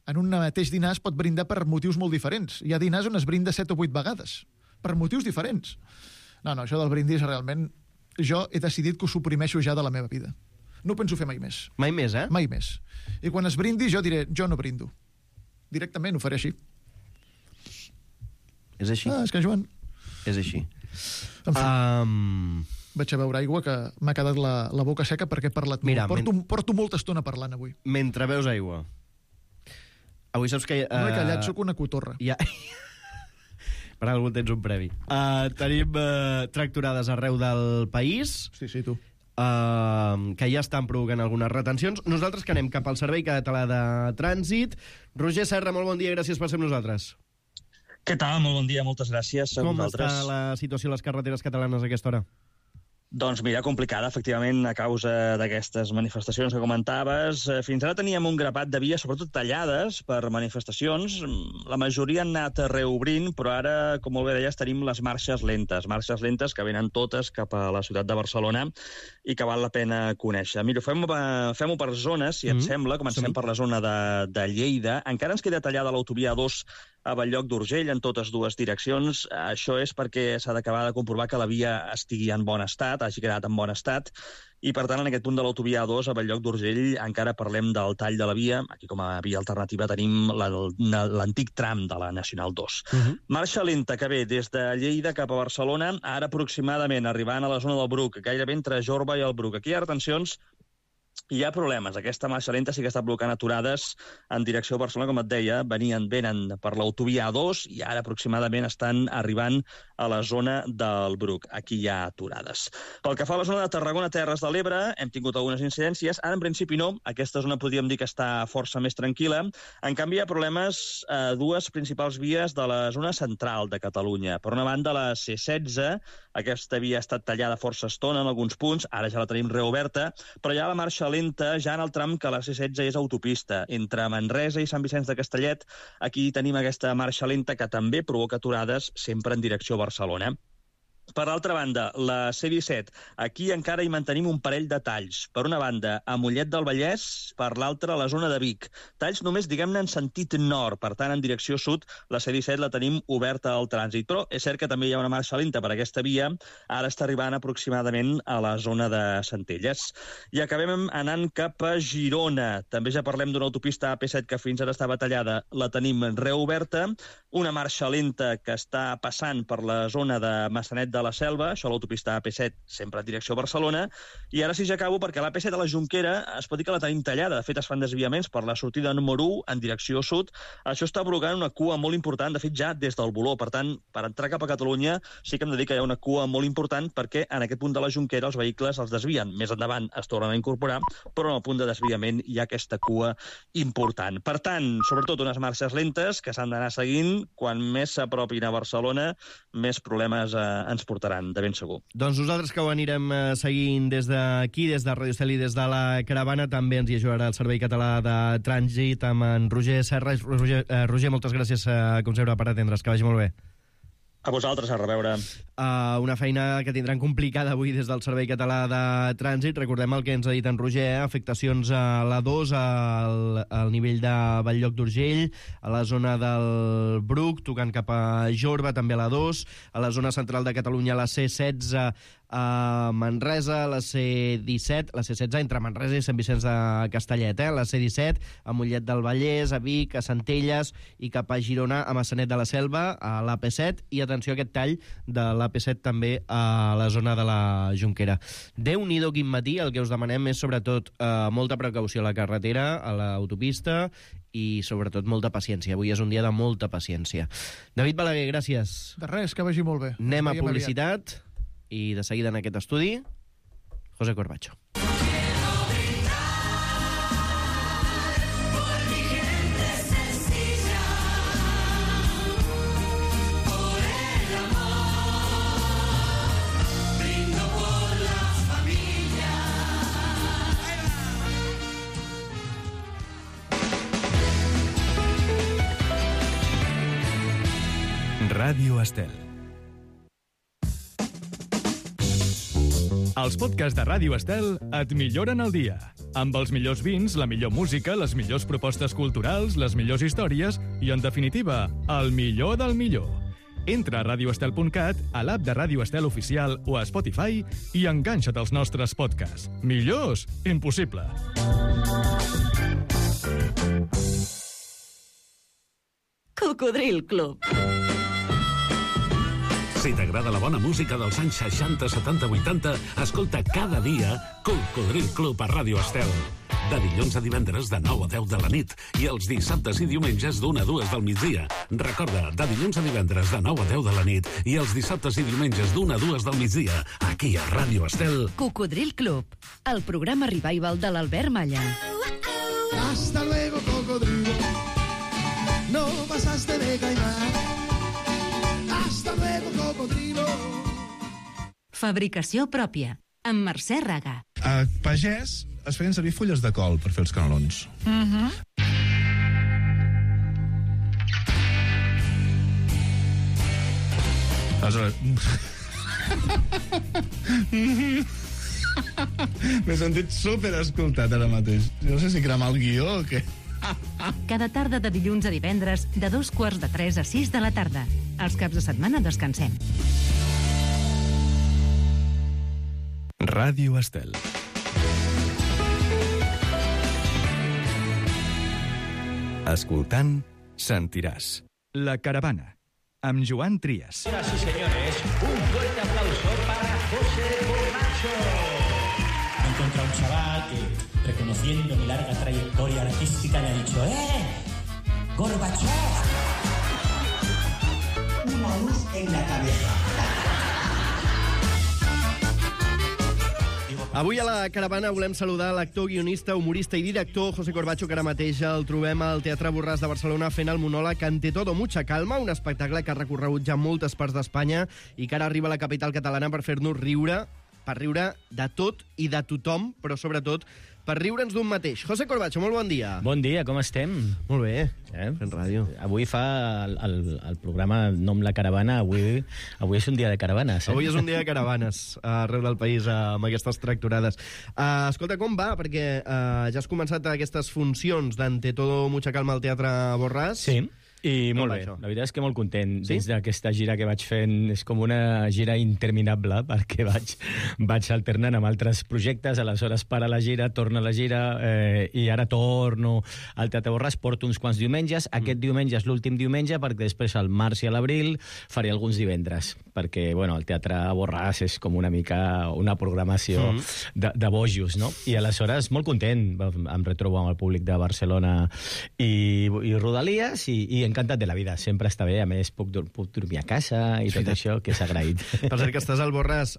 en un mateix dinar es pot brindar per motius molt diferents. Hi ha dinars on es brinda 7 o 8 vegades, per motius diferents. No, això del brindis realment... Jo he decidit que ho suprimeixo ja de la meva vida. No ho penso fer mai més. Mai més, eh? Mai més. I quan es brindi jo diré, jo no brindo. Directament ho faré així. És així? És que, Joan... És així. En fi, vaig a beure aigua, que m'ha quedat la boca seca perquè he parlat molt. Porto molta estona parlant avui. Mentre beus aigua. Avui saps que... No he callat, sóc una cotorra. Ja... Per algú tens un previ. Tenim tracturades arreu del país. Sí, tu. Que ja estan provocant algunes retencions. Nosaltres que anem cap al Servei Català de Trànsit. Roger Serra, molt bon dia, gràcies per ser amb nosaltres. Què tal? Molt bon dia, moltes gràcies. Com està la situació a les carreteres catalanes a aquesta hora? Doncs mira, complicada, efectivament, a causa d'aquestes manifestacions que comentaves. Fins ara teníem un grapat de vies, sobretot tallades per manifestacions. La majoria han anat reobrint, però ara, com molt bé deies, tenim les marxes lentes que venen totes cap a la ciutat de Barcelona i que val la pena conèixer. Mira, fem-ho per zones, si et sembla. Comencem per la zona de Lleida. Encara ens queda tallada l'autovia 2 a Bell-lloc d'Urgell en totes dues direccions. Això és perquè s'ha d'acabar de comprovar que la via estigui en bon estat, hagi quedat en bon estat, i per tant en aquest punt de l'autovia 2 a Bell-lloc d'Urgell encara parlem del tall de la via. Aquí com a via alternativa tenim l'antic tram de la Nacional 2. Marxa lenta que ve des de Lleida cap a Barcelona, ara aproximadament arribant a la zona del Bruc, gairebé entre Jorba i el Bruc. Aquí hi ha retencions. Hi ha problemes. Aquesta marxa lenta sí que està blocant aturades en direcció a Barcelona, com et deia. Venen per l'autovia A2 i ara aproximadament estan arribant a la zona del Bruc. Aquí hi ha aturades. Pel que fa a la zona de Tarragona, Terres de l'Ebre, hem tingut algunes incidències. Ara, en principi, no. Aquesta zona podríem dir que està força més tranquil·la. En canvi, hi ha problemes a dues principals vies de la zona central de Catalunya. Per una banda, la C16. Aquesta via ha estat tallada força estona en alguns punts. Ara ja la tenim reoberta. Però hi ha la marxa lenta ja en el tram que la C16 és autopista. Entre Manresa i Sant Vicenç de Castellet, aquí tenim aquesta marxa lenta que també provoca aturades sempre en direcció a Barcelona. Per l'altra banda, la C-17, aquí encara hi mantenim un parell de talls. Per una banda, a Mollet del Vallès, per l'altra, a la zona de Vic. Talls només, diguem-ne, en sentit nord, per tant, en direcció sud, la C-17 la tenim oberta al trànsit. Però és cert que també hi ha una marxa lenta per aquesta via, ara està arribant aproximadament a la zona de Centelles. I acabem anant cap a Girona. També ja parlem d'una autopista AP7 que fins ara estava tallada, la tenim reoberta, una marxa lenta que està passant per la zona de Massanet de la Selva, això l'autopista AP7, sempre en direcció a Barcelona, i ara sí ja acabo perquè l'AP7 a la Jonquera es pot dir que la tenim tallada. De fet, es fan desviaments per la sortida número 1 en direcció sud. Això està provocant una cua molt important, de fet ja des del Voló. Per tant, per entrar cap a Catalunya sí que hem de dir que hi ha una cua molt important perquè en aquest punt de la Jonquera els vehicles els desvien. Més endavant es tornen a incorporar, però en el punt de desviament hi ha aquesta cua important. Per tant, sobretot unes marxes lentes que s'han d'anar seguint. Quan més s'apropin a Barcelona, més problemes ens portaran, de ben segur. Doncs nosaltres que ho anirem seguint des d'aquí, des de Radio Estel i des de la Caravana, també ens hi ajudarà el Servei Català de Trànsit amb en Roger Serra. Roger, moltes gràcies, com sempre, per atendre's. Que vagi molt bé. A vosaltres, a reveure. Una feina que tindran complicada avui des del Servei Català de Trànsit. Recordem el que ens ha dit en Roger, afectacions a l'A2, al nivell de Bell-lloc d'Urgell, a la zona del Bruc, tocant cap a Jorba, també a l'A2, a la zona central de Catalunya, la C16, a Manresa, la C17, la C16 entre Manresa i Sant Vicenç de Castellet, la C17 a Mollet del Vallès, a Vic, a Centelles i cap a Girona, a Massanet de la Selva, a l'AP7, i atenció a aquest tall de l'AP7 també a la zona de la Jonquera. Déu-n'hi-do quin matí, el que us demanem és sobretot molta precaució a la carretera, a l'autopista, i sobretot molta paciència. Avui és un dia de molta paciència. David Balaguer, gràcies. De res, que vagi molt bé. Anem a publicitat. I de seguida en aquest estudi, José Corbacho. Ràdio Estel. Els podcasts de Ràdio Estel et milloren el dia. Amb els millors vins, la millor música, les millors propostes culturals, les millors històries i, en definitiva, el millor del millor. Entra a radioestel.cat, a l'app de Ràdio Estel Oficial o a Spotify i enganxa't als nostres podcasts. Millors? Impossible. Cocodril Club. Si t'agrada la bona música dels anys 60, 70, 80, escolta cada dia Cocodril Club a Ràdio Estel. De dilluns a divendres de 9 a 10 de la nit i els dissabtes i diumenges d'1 a 2 del migdia. Recorda, de dilluns a divendres de 9 a 10 de la nit i els dissabtes i diumenges d'1 a 2 del migdia, aquí a Ràdio Estel. Cocodril Club, el programa revival de l'Albert Malla. Hasta luego, cocodrilo. No pasaste de caimán. Hasta luego, cocodrilo. Fabricació pròpia, amb Mercè Raga. A Pagès es feien servir fulles de col per fer els canelons. Aleshores... M'he sentit super escoltat ara mateix. No sé si cremar el guió o què. Cada tarda de dilluns a divendres, de 2:45 a 6 de la tarda. Els caps de setmana descansem. Ràdio Estel. Escoltant, sentiràs. La Caravana, amb Joan Trias. Señoras y señores, un fuerte aplauso para José Corbacho. Me encontré a un chaval que, reconociendo mi larga trayectoria artística, me ha dicho: Gorbachov, una luz en la cabeza. Avui a la Caravana volem saludar l'actor, guionista, humorista i director José Corbacho, que ara mateix el trobem al Teatre Borràs de Barcelona fent el monòleg Ante todo mucha calma, un espectacle que ha recorregut ja moltes parts d'Espanya i que ara arriba a la capital catalana per fer-nos riure per riure de tot i de tothom, però sobretot per riure'ns d'un mateix. José Corbacho, molt bon dia. Bon dia, com estem? Molt bé, fent ràdio. Avui fa el programa Nom la Caravana, avui és un dia de caravanes. Avui és un dia de caravanes arreu del país amb aquestes tractorades. Escolta, com va? Perquè ja has començat aquestes funcions d'Ante todo mucha calma al Teatre Borràs. Sí. I molt bé, la veritat és que molt content. Dins d'aquesta gira que vaig fent és com una gira interminable, perquè vaig alternant amb altres projectes, aleshores para la gira, torna a la gira, i ara torno al Teatre Borràs, porto uns quants diumenges. Aquest diumenge és l'últim diumenge, perquè després al març i a l'abril faré alguns divendres, perquè el Teatre Borràs és com una mica una programació de bojos, no? I aleshores molt content, em retrobo amb el públic de Barcelona i Rodalies, i encantat de la vida, sempre està bé, a més puc dormir a casa i tot això, que s'ha agraït. Per cert que estàs al Borràs,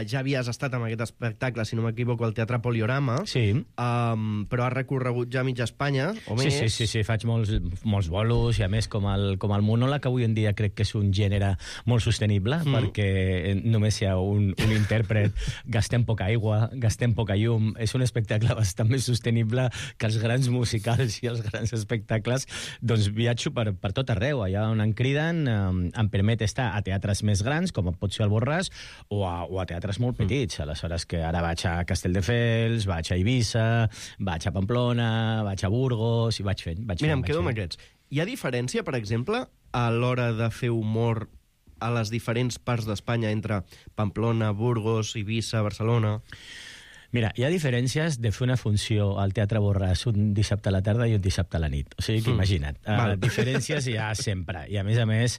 ja havies estat amb aquest espectacle, si no m'equivoco, al Teatre Poliorama, però has recorregut ja mitja Espanya, o més. Sí, faig molts bolos, i a més com el monòleg avui en dia crec que és un gènere molt sostenible, perquè només hi ha un intèrpret, gastem poca aigua, gastem poca llum, és un espectacle bastant més sostenible que els grans musicals i els grans espectacles, doncs viatjo per tot arreu, allà on em criden, em permet estar a teatres més grans, com pot ser el Borràs, o a teatres molt petits. Aleshores que ara vaig a Castelldefels, vaig a Eivissa, vaig a Pamplona, vaig a Burgos, i vaig fent. Mira, em quedo amb aquests. Hi ha diferència, per exemple, a l'hora de fer humor a les diferents parts d'Espanya entre Pamplona, Burgos, Eivissa, Barcelona? Mira, hi ha diferències de fer una funció al Teatre Borràs un dissabte a la tarda i un dissabte a la nit. O sigui que imagina't. Diferències hi ha sempre. I a més,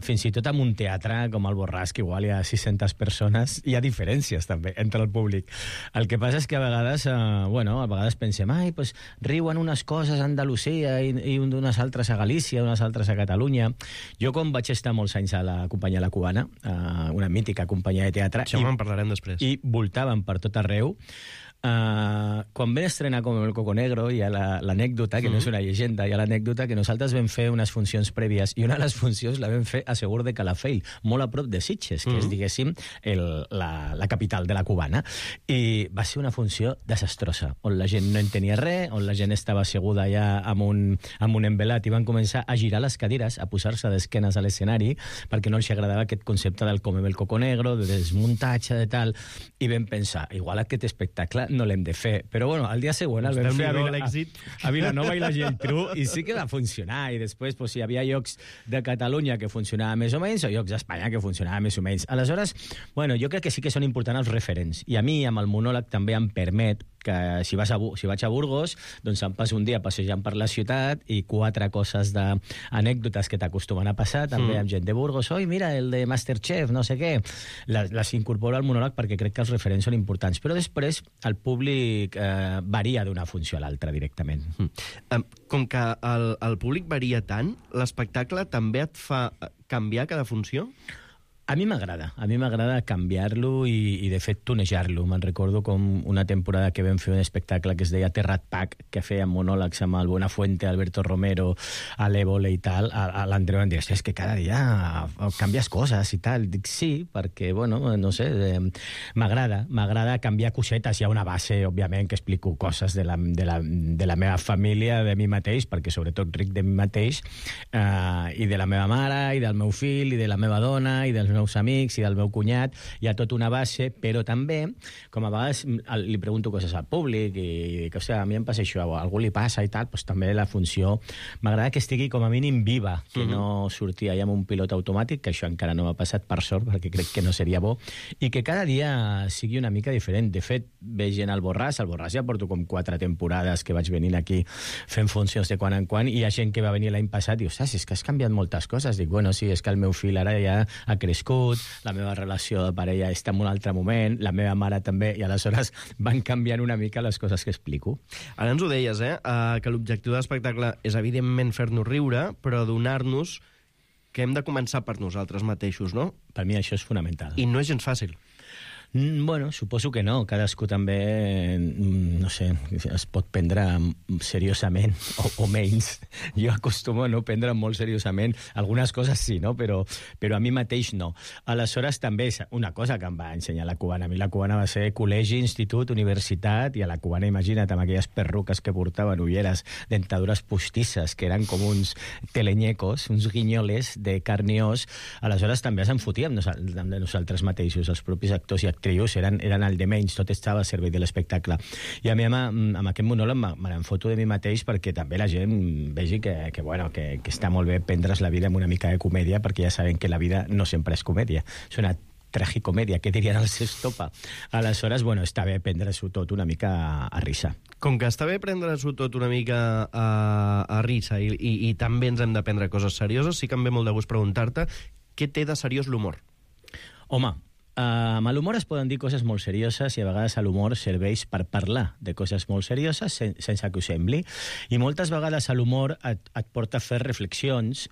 fins i tot en un teatre com el Borràs, que igual hi ha 600 persones, hi ha diferències també entre el públic. El que passa és que a vegades pensem, pues, riuen unes coses a Andalusia i unes altres a Galícia, unes altres a Catalunya. Jo, com vaig estar molts anys a la companyia La Cubana, una mítica companyia de teatre, això en parlarem després, i voltàvem per tot arreu. Quan vam estrenar com el Coco Negro, hi ha l'anècdota, que no és una llegenda, hi ha l'anècdota que nosaltres vam fer unes funcions prèvies, i una de les funcions la vam fer a Segur de Calafell, molt a prop de Sitges, que és, diguéssim, la capital de la Cubana. I va ser una funció desastrosa, on la gent no entenia res, on la gent estava asseguda ja amb un envelat, i van començar a girar les cadires, a posar-se d'esquenes a l'escenari, perquè no els agradava aquest concepte del Comem el Coco Negro, de desmuntatge, de tal, i vam pensar, igual aquest espectacle no l'hem de fer. Però al dia següent el vam fer a Vilanova i la Geltrú, i sí que va funcionar. I després hi havia llocs de Catalunya que funcionava més o menys, o llocs d'Espanya que funcionava més o menys. Aleshores, jo crec que sí que són importants els referents. I a mi, amb el monòleg, també em permet que si vaig a Burgos, doncs em passo un dia passejant per la ciutat i 4 coses d'anècdotes que t'acostumen a passar, també amb gent de Burgos. Oi, mira, el de Masterchef, no sé què. Les incorporo al monòleg perquè crec que els referents són importants. Però després el públic varia d'una funció a l'altra directament. Com que el públic varia tant, l'espectacle també et fa canviar cada funció? A mi m'agrada canviar-lo i de fet tunejar-lo. Me'n recordo com una temporada que vam fer un espectacle que es deia Terrat Pack, que feia monòlegs amb el Buenafuente, Alberto Romero, a l'Évole i tal. A l'Andreu em deia, és que cada dia canvies coses i tal. Dic, sí, perquè, no sé, m'agrada canviar cosetes. Hi ha una base, òbviament, que explico coses de la meva família, de mi mateix, perquè sobretot ric de mi mateix, i de la meva mare, i del meu fill, i de la meva dona, i dels meus amics i del meu cunyat, hi ha tota una base, però també, com a vegades li pregunto coses al públic i dic, a mi em passa això, a algú li passa i tal, doncs també la funció m'agrada que estigui com a mínim viva, que no surti allà amb un pilot automàtic, que això encara no m'ha passat per sort, perquè crec que no seria bo, i que cada dia sigui una mica diferent. De fet, veig gent al Borràs ja porto com 4 temporades que vaig venint aquí fent funcions de quan en quan, i hi ha gent que va venir l'any passat i diu, és que has canviat moltes coses. Dic, sí, és que el meu fill ara ja ha crescut, la meva relació de parella està en un altre moment, la meva mare també, i aleshores van canviant una mica les coses que explico. Ara ens ho deies, que l'objectiu de l'espectacle és evidentment fer-nos riure, però donar-nos que hem de començar per nosaltres mateixos, no? Per mi això és fonamental. I no és gens fàcil. Bueno, suposo que no. Cadascú també, no sé, es pot prendre seriosament o menys. Jo acostumo a no prendre molt seriosament. Algunes coses sí, no? Però a mi mateix no. Aleshores, també és una cosa que em va ensenyar la cubana. A mi la cubana va ser col·legi, institut, universitat, i a la cubana, imagina't, amb aquelles perruques que portaven, ulleres, dentadures postisses, que eren com uns telenyecos, uns guinyoles de carn i os. Aleshores, també se'n fotíem de nosaltres mateixos. Els propis actors i actrius eren el de menys, tot estava al servei de l'espectacle. I a mi amb aquest monòleg me n'en foto de mi mateix perquè també la gent vegi que està molt bé prendre's la vida amb una mica de comèdia, perquè ja saben que la vida no sempre és comèdia. És una tragicomèdia, què dirien els Estopa? Aleshores, està bé prendre-s'ho tot una mica a risa. Com que està bé prendre-s'ho tot una mica a risa i també ens hem de prendre coses serioses, sí que em ve molt de gust preguntar-te què té de seriós l'humor? Home, amb l'humor es poden dir coses molt serioses i a vegades l'humor serveix per parlar de coses molt serioses sense que ho sembli. I moltes vegades l'humor et porta a fer reflexions,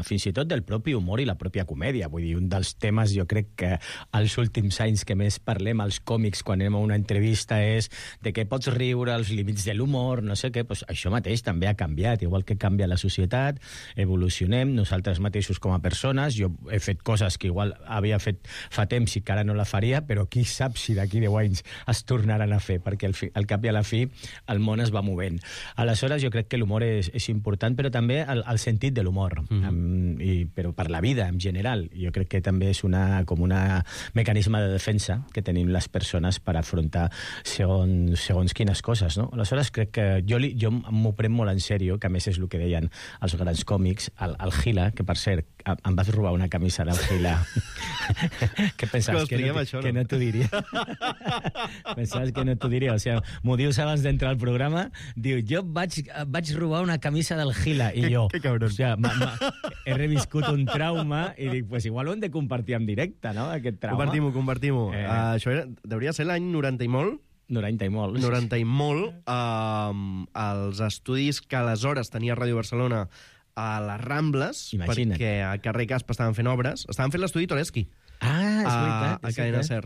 fins i tot del propi humor i la pròpia comèdia. Vull dir, un dels temes, jo crec que als últims anys que més parlem als còmics quan anem a una entrevista és de què pots riure, els límits de l'humor, no sé què. Pues això mateix també ha canviat, igual que canvia la societat, evolucionem, nosaltres mateixos com a persones. Jo he fet coses que igual havia fet fa temps i que ara no la faria, però qui sap si d'aquí 10 anys es tornaran a fer, perquè al cap i a la fi el món es va movent. Aleshores, jo crec que l'humor és important, però també el sentit de l'humor, però per la vida en general. Jo crec que també és un mecanisme de defensa que tenim les persones per afrontar segons quines coses, no? Aleshores, crec que jo m'ho prenc molt en sèrio, que a més és el que deien els grans còmics, el Gila, que per cert, em vas robar una camisa del Gila. Què pensaves? Que no t'ho diria. Pensaves que no t'ho diria. O sigui, m'ho dius abans d'entrar al programa, diu, jo vaig robar una camisa del Gila, i jo, que cabron. O sigui, he reviscut un trauma i dic, pues igual ho hem de compartir en directe, no?, aquest trauma. Compartim-ho. Això deuria ser l'any 90 i molt. 90 i molt. Els estudis que aleshores tenia Ràdio Barcelona a les Rambles, imagina't, perquè a carrer Caspa estaven fent obres. Estaven fent l'estudi Toreski. És veritat. A Cadena Ser.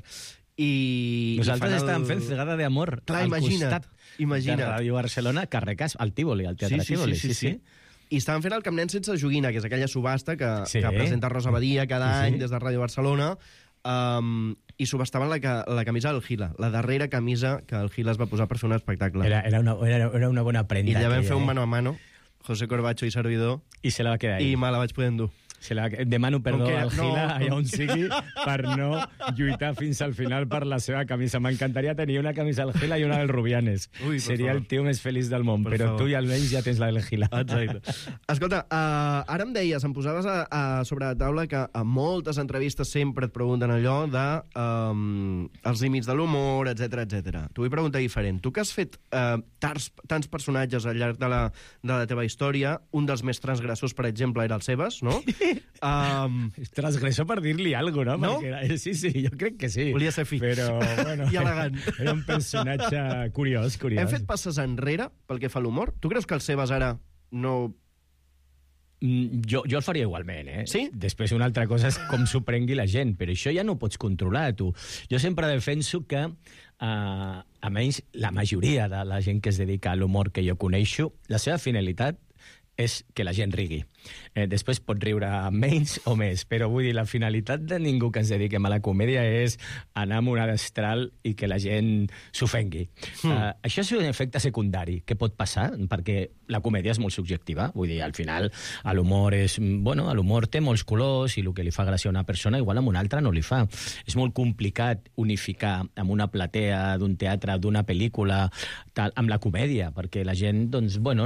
Nosaltres estàvem fent Cegada de Amor al costat de Ràdio Barcelona, carrer Caspa, al Tívoli, al Teatre Tívoli. Sí. I estaven fent el Camp Nen sense joguina, que és aquella subhasta que presenta Rosa Badia cada any des de Ràdio Barcelona, i subhastaven la camisa del Gila, la darrera camisa que el Gila es va posar per fer un espectacle. Era una bona prenda. I allà vam fer un mano a mano, José Corbacho i servidor, i se la va quedar ahí. I me la vaig poder endur. Demano perdó al Gila, allà on sigui, per no lluitar fins al final per la seva camisa. M'encantaria tenir una camisa del Gila i una del Rubianes. Seria el tio més feliç del món, però tu i almenys ja tens la del Gila. Exacte. Escolta, ara em deies, em posaves sobre la taula que a moltes entrevistes sempre et pregunten allò de els límits de l'humor, etc. T'ho vull preguntar diferent. Tu que has fet tants personatges al llarg de la teva història, un dels més transgressors, per exemple, era el Sebas, no? Transgressor per dir-li alguna cosa, no? Sí, jo crec que sí. Volia ser fi. Però, bueno, i elegant. Era un personatge curiós. Hem fet passes enrere pel que fa a l'humor? Tu creus que el Sebas ara no... Jo el faria igualment, Sí? Després una altra cosa és com s'ho prengui la gent, però això ja no ho pots controlar, tu. Jo sempre defenso que, a menys la majoria de la gent que es dedica a l'humor que jo coneixo, la seva finalitat és que la gent rigui. Després pot riure menys o més, però vull dir, la finalitat de ningú que ens dediquem a la comèdia és anar amb una destral i que la gent s'ofengui. Això és un efecte secundari que pot passar, perquè la comèdia és molt subjectiva. Vull dir, al final, l'humor l'humor té molts colors i el que li fa gràcia a una persona igual a una altra no li fa. És molt complicat unificar amb una platea d'un teatre, d'una pel·lícula, amb la comèdia, perquè la gent,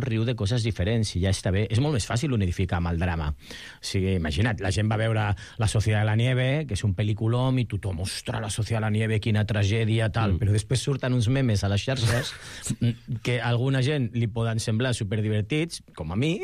riu de coses diferents i ja està bé. És molt més fàcil unificar amb el drama. O sigui, imagina't, la gent va veure La Sociedad de la Nieve, que és un pel·lículom, i tothom, ostres, La Sociedad de la Nieve, quina tragèdia, tal, però després surten uns memes a les xarxes que a alguna gent li poden semblar superdivertits, com a mi,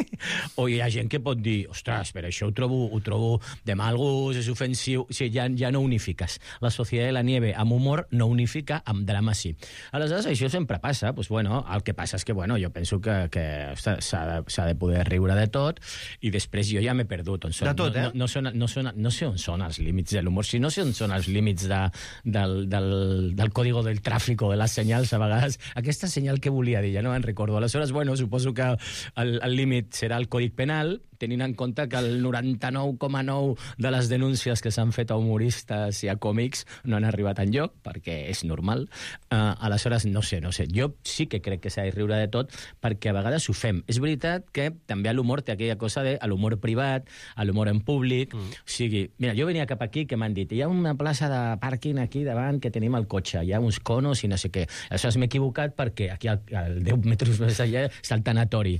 o hi ha gent que pot dir, ostres, per això ho trobo de mal gust, és ofensiu. O sigui, ja no unifiques. La Sociedad de la Nieve amb humor no unifica, amb drama sí. Aleshores, això sempre passa. El que passa és que, jo penso que s'ha de poder riure de tot i després jo ja m'he perdut. De tot, No sé on són els límits de l'humor. Si no sé on són els límits del código del tràfico, de les senyals, a vegades. Aquesta senyal que volia dir, ja no me'n recordo. Aleshores, bueno, suposo que el límit serà el Còdic Penal, tenint en compte que el 99,9 de les denúncies que s'han fet a humoristes i a còmics no han arribat enlloc, perquè és normal. Aleshores, no sé. Jo sí que crec que s'ha de riure de tot, perquè a vegades ho fem. És veritat que també a l'humor té aquella cosa de l'humor privat, a l'humor en públic. O sigui, mira, jo venia cap aquí que m'han dit hi ha una plaça de pàrquing aquí davant que tenim el cotxe, hi ha uns conos i no sé què. Aleshores m'he equivocat perquè aquí al 10 metres més allà està el tanatori.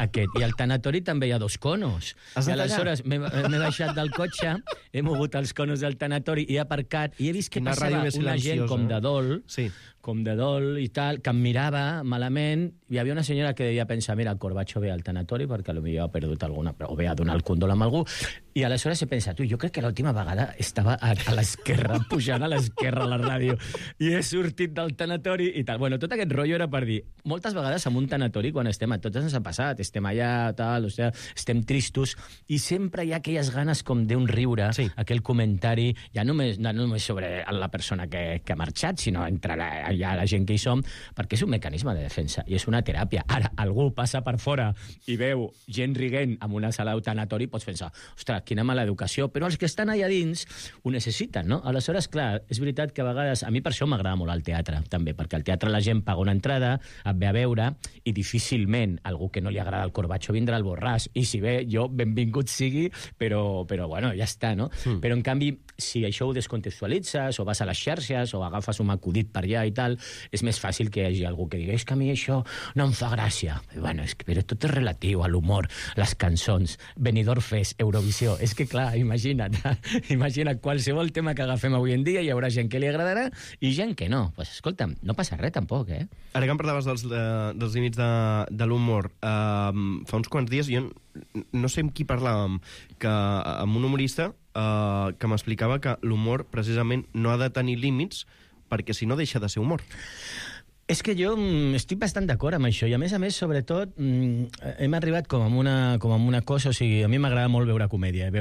Aquest. I al tanatori també hi ha 2 conos. I aleshores m'he baixat del cotxe, he mogut els conos del tanatori i he aparcat i he vist que passava una gent com de dol i tal, que em mirava malament. Hi havia una senyora que devia pensar, mira, el Corbacho ve al tanatori perquè potser ha perdut alguna, o ve a donar el condol amb algú. I aleshores he pensat, jo crec que l'última vegada estava a l'esquerra, pujant a l'esquerra a la ràdio, i he sortit del tanatori i tal. Bueno, tot aquest rotllo era per dir, moltes vegades en un tanatori, quan estem, a tots ens ha passat, estem allà, tal, o sigui, estem tristos, i sempre hi ha aquelles ganes com d'un riure, aquell comentari, ja no només sobre la persona que ha marxat, sinó entre la gent que hi som, perquè és un mecanisme de defensa, i és una teràpia. Ara, algú passa per fora i veu gent riguent en una sala de tanatori, pots pensar, ostres, quina mala educació, però els que estan allà dins ho necessiten, no? Aleshores, clar, és veritat que a vegades, a mi per això m'agrada molt el teatre, també, perquè al teatre la gent paga una entrada, et ve a veure, i difícilment algú que no li agrada el Corbacho vindrà al Borràs, i si ve, jo, benvingut sigui, però bueno, ja està, no? Però, en canvi, si això ho descontextualitzes, o vas a les xarxes, o agafes un acudit per allà i tal, és més fàcil que hi hagi algú que digui és que a mi això no em fa gràcia. Bueno, però tot és relatiu a l'humor, les cançons, Benidorm Fest, Eurovisió. És que, clar, imagina't, qualsevol tema que agafem avui en dia hi haurà gent que li agradarà i gent que no. Pues, escolta'm, no passa res tampoc, eh? Ara que em parlaves dels límits de l'humor, fa uns quants dies jo no sé amb qui parlàvem, que amb un humorista que m'explicava que l'humor precisament no ha de tenir límits perquè si no deixa de ser humor. És que jo estic bastant d'acord amb això, i a més, sobretot, hem arribat com amb una cosa, o sigui, a mi m'agrada molt veure comèdia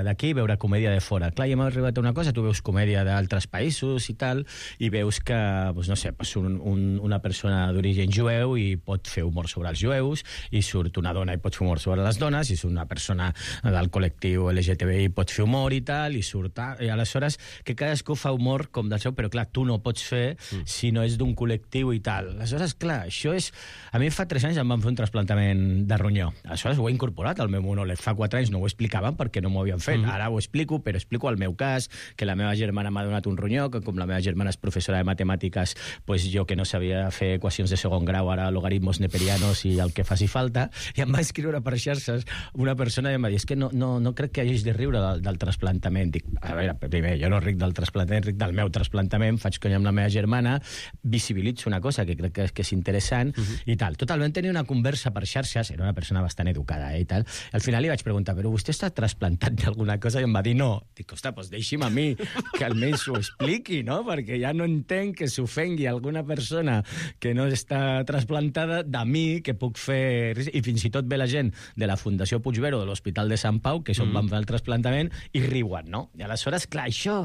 d'aquí, veure comèdia de fora. Clar, i hem arribat a una cosa, tu veus comèdia d'altres països i tal, i veus que, no sé, una persona d'origen jueu i pot fer humor sobre els jueus, i surt una dona i pot fer humor sobre les dones, i surt una persona del col·lectiu LGTBI i pot fer humor i tal, i aleshores que cadascú fa humor com del seu, però clar, tu no pots fer si no és d'un col·lectiu i tal. Aleshores, clar, això és... A mi fa 3 anys em van fer un trasplantament de ronyó. Aleshores ho he incorporat al meu monòleg. Fa 4 anys no ho explicaven perquè no m'ho havien fet. Ara ho explico, però explico el meu cas, que la meva germana m'ha donat un ronyó, que com la meva germana és professora de matemàtiques, pues jo que no sabia fer equacions de segon grau, ara logaritmos neperianos i el que faci falta, i em va escriure per xarxes una persona i em va dir, és que no crec que hagis de riure del trasplantament. Dic, a veure, primer, jo no ric del trasplantament, ric del meu trasplantament, faig conya amb la meva germana, visibilitzo una cosa que crec que és interessant i tal. Total, vam tenir una conversa per xarxes, era una persona bastant educada i tal. Al final li vaig preguntar, però vostè està trasplantat d'alguna cosa? I em va dir no. Dic, ostres, doncs deixi'm a mi que almenys ho expliqui, no? Perquè ja no entenc que s'ofengui alguna persona que no està trasplantada de mi, que puc fer... I fins i tot ve la gent de la Fundació Puigvero de l'Hospital de Sant Pau, que és on van fer el trasplantament, i riuen, no? I aleshores, clar, això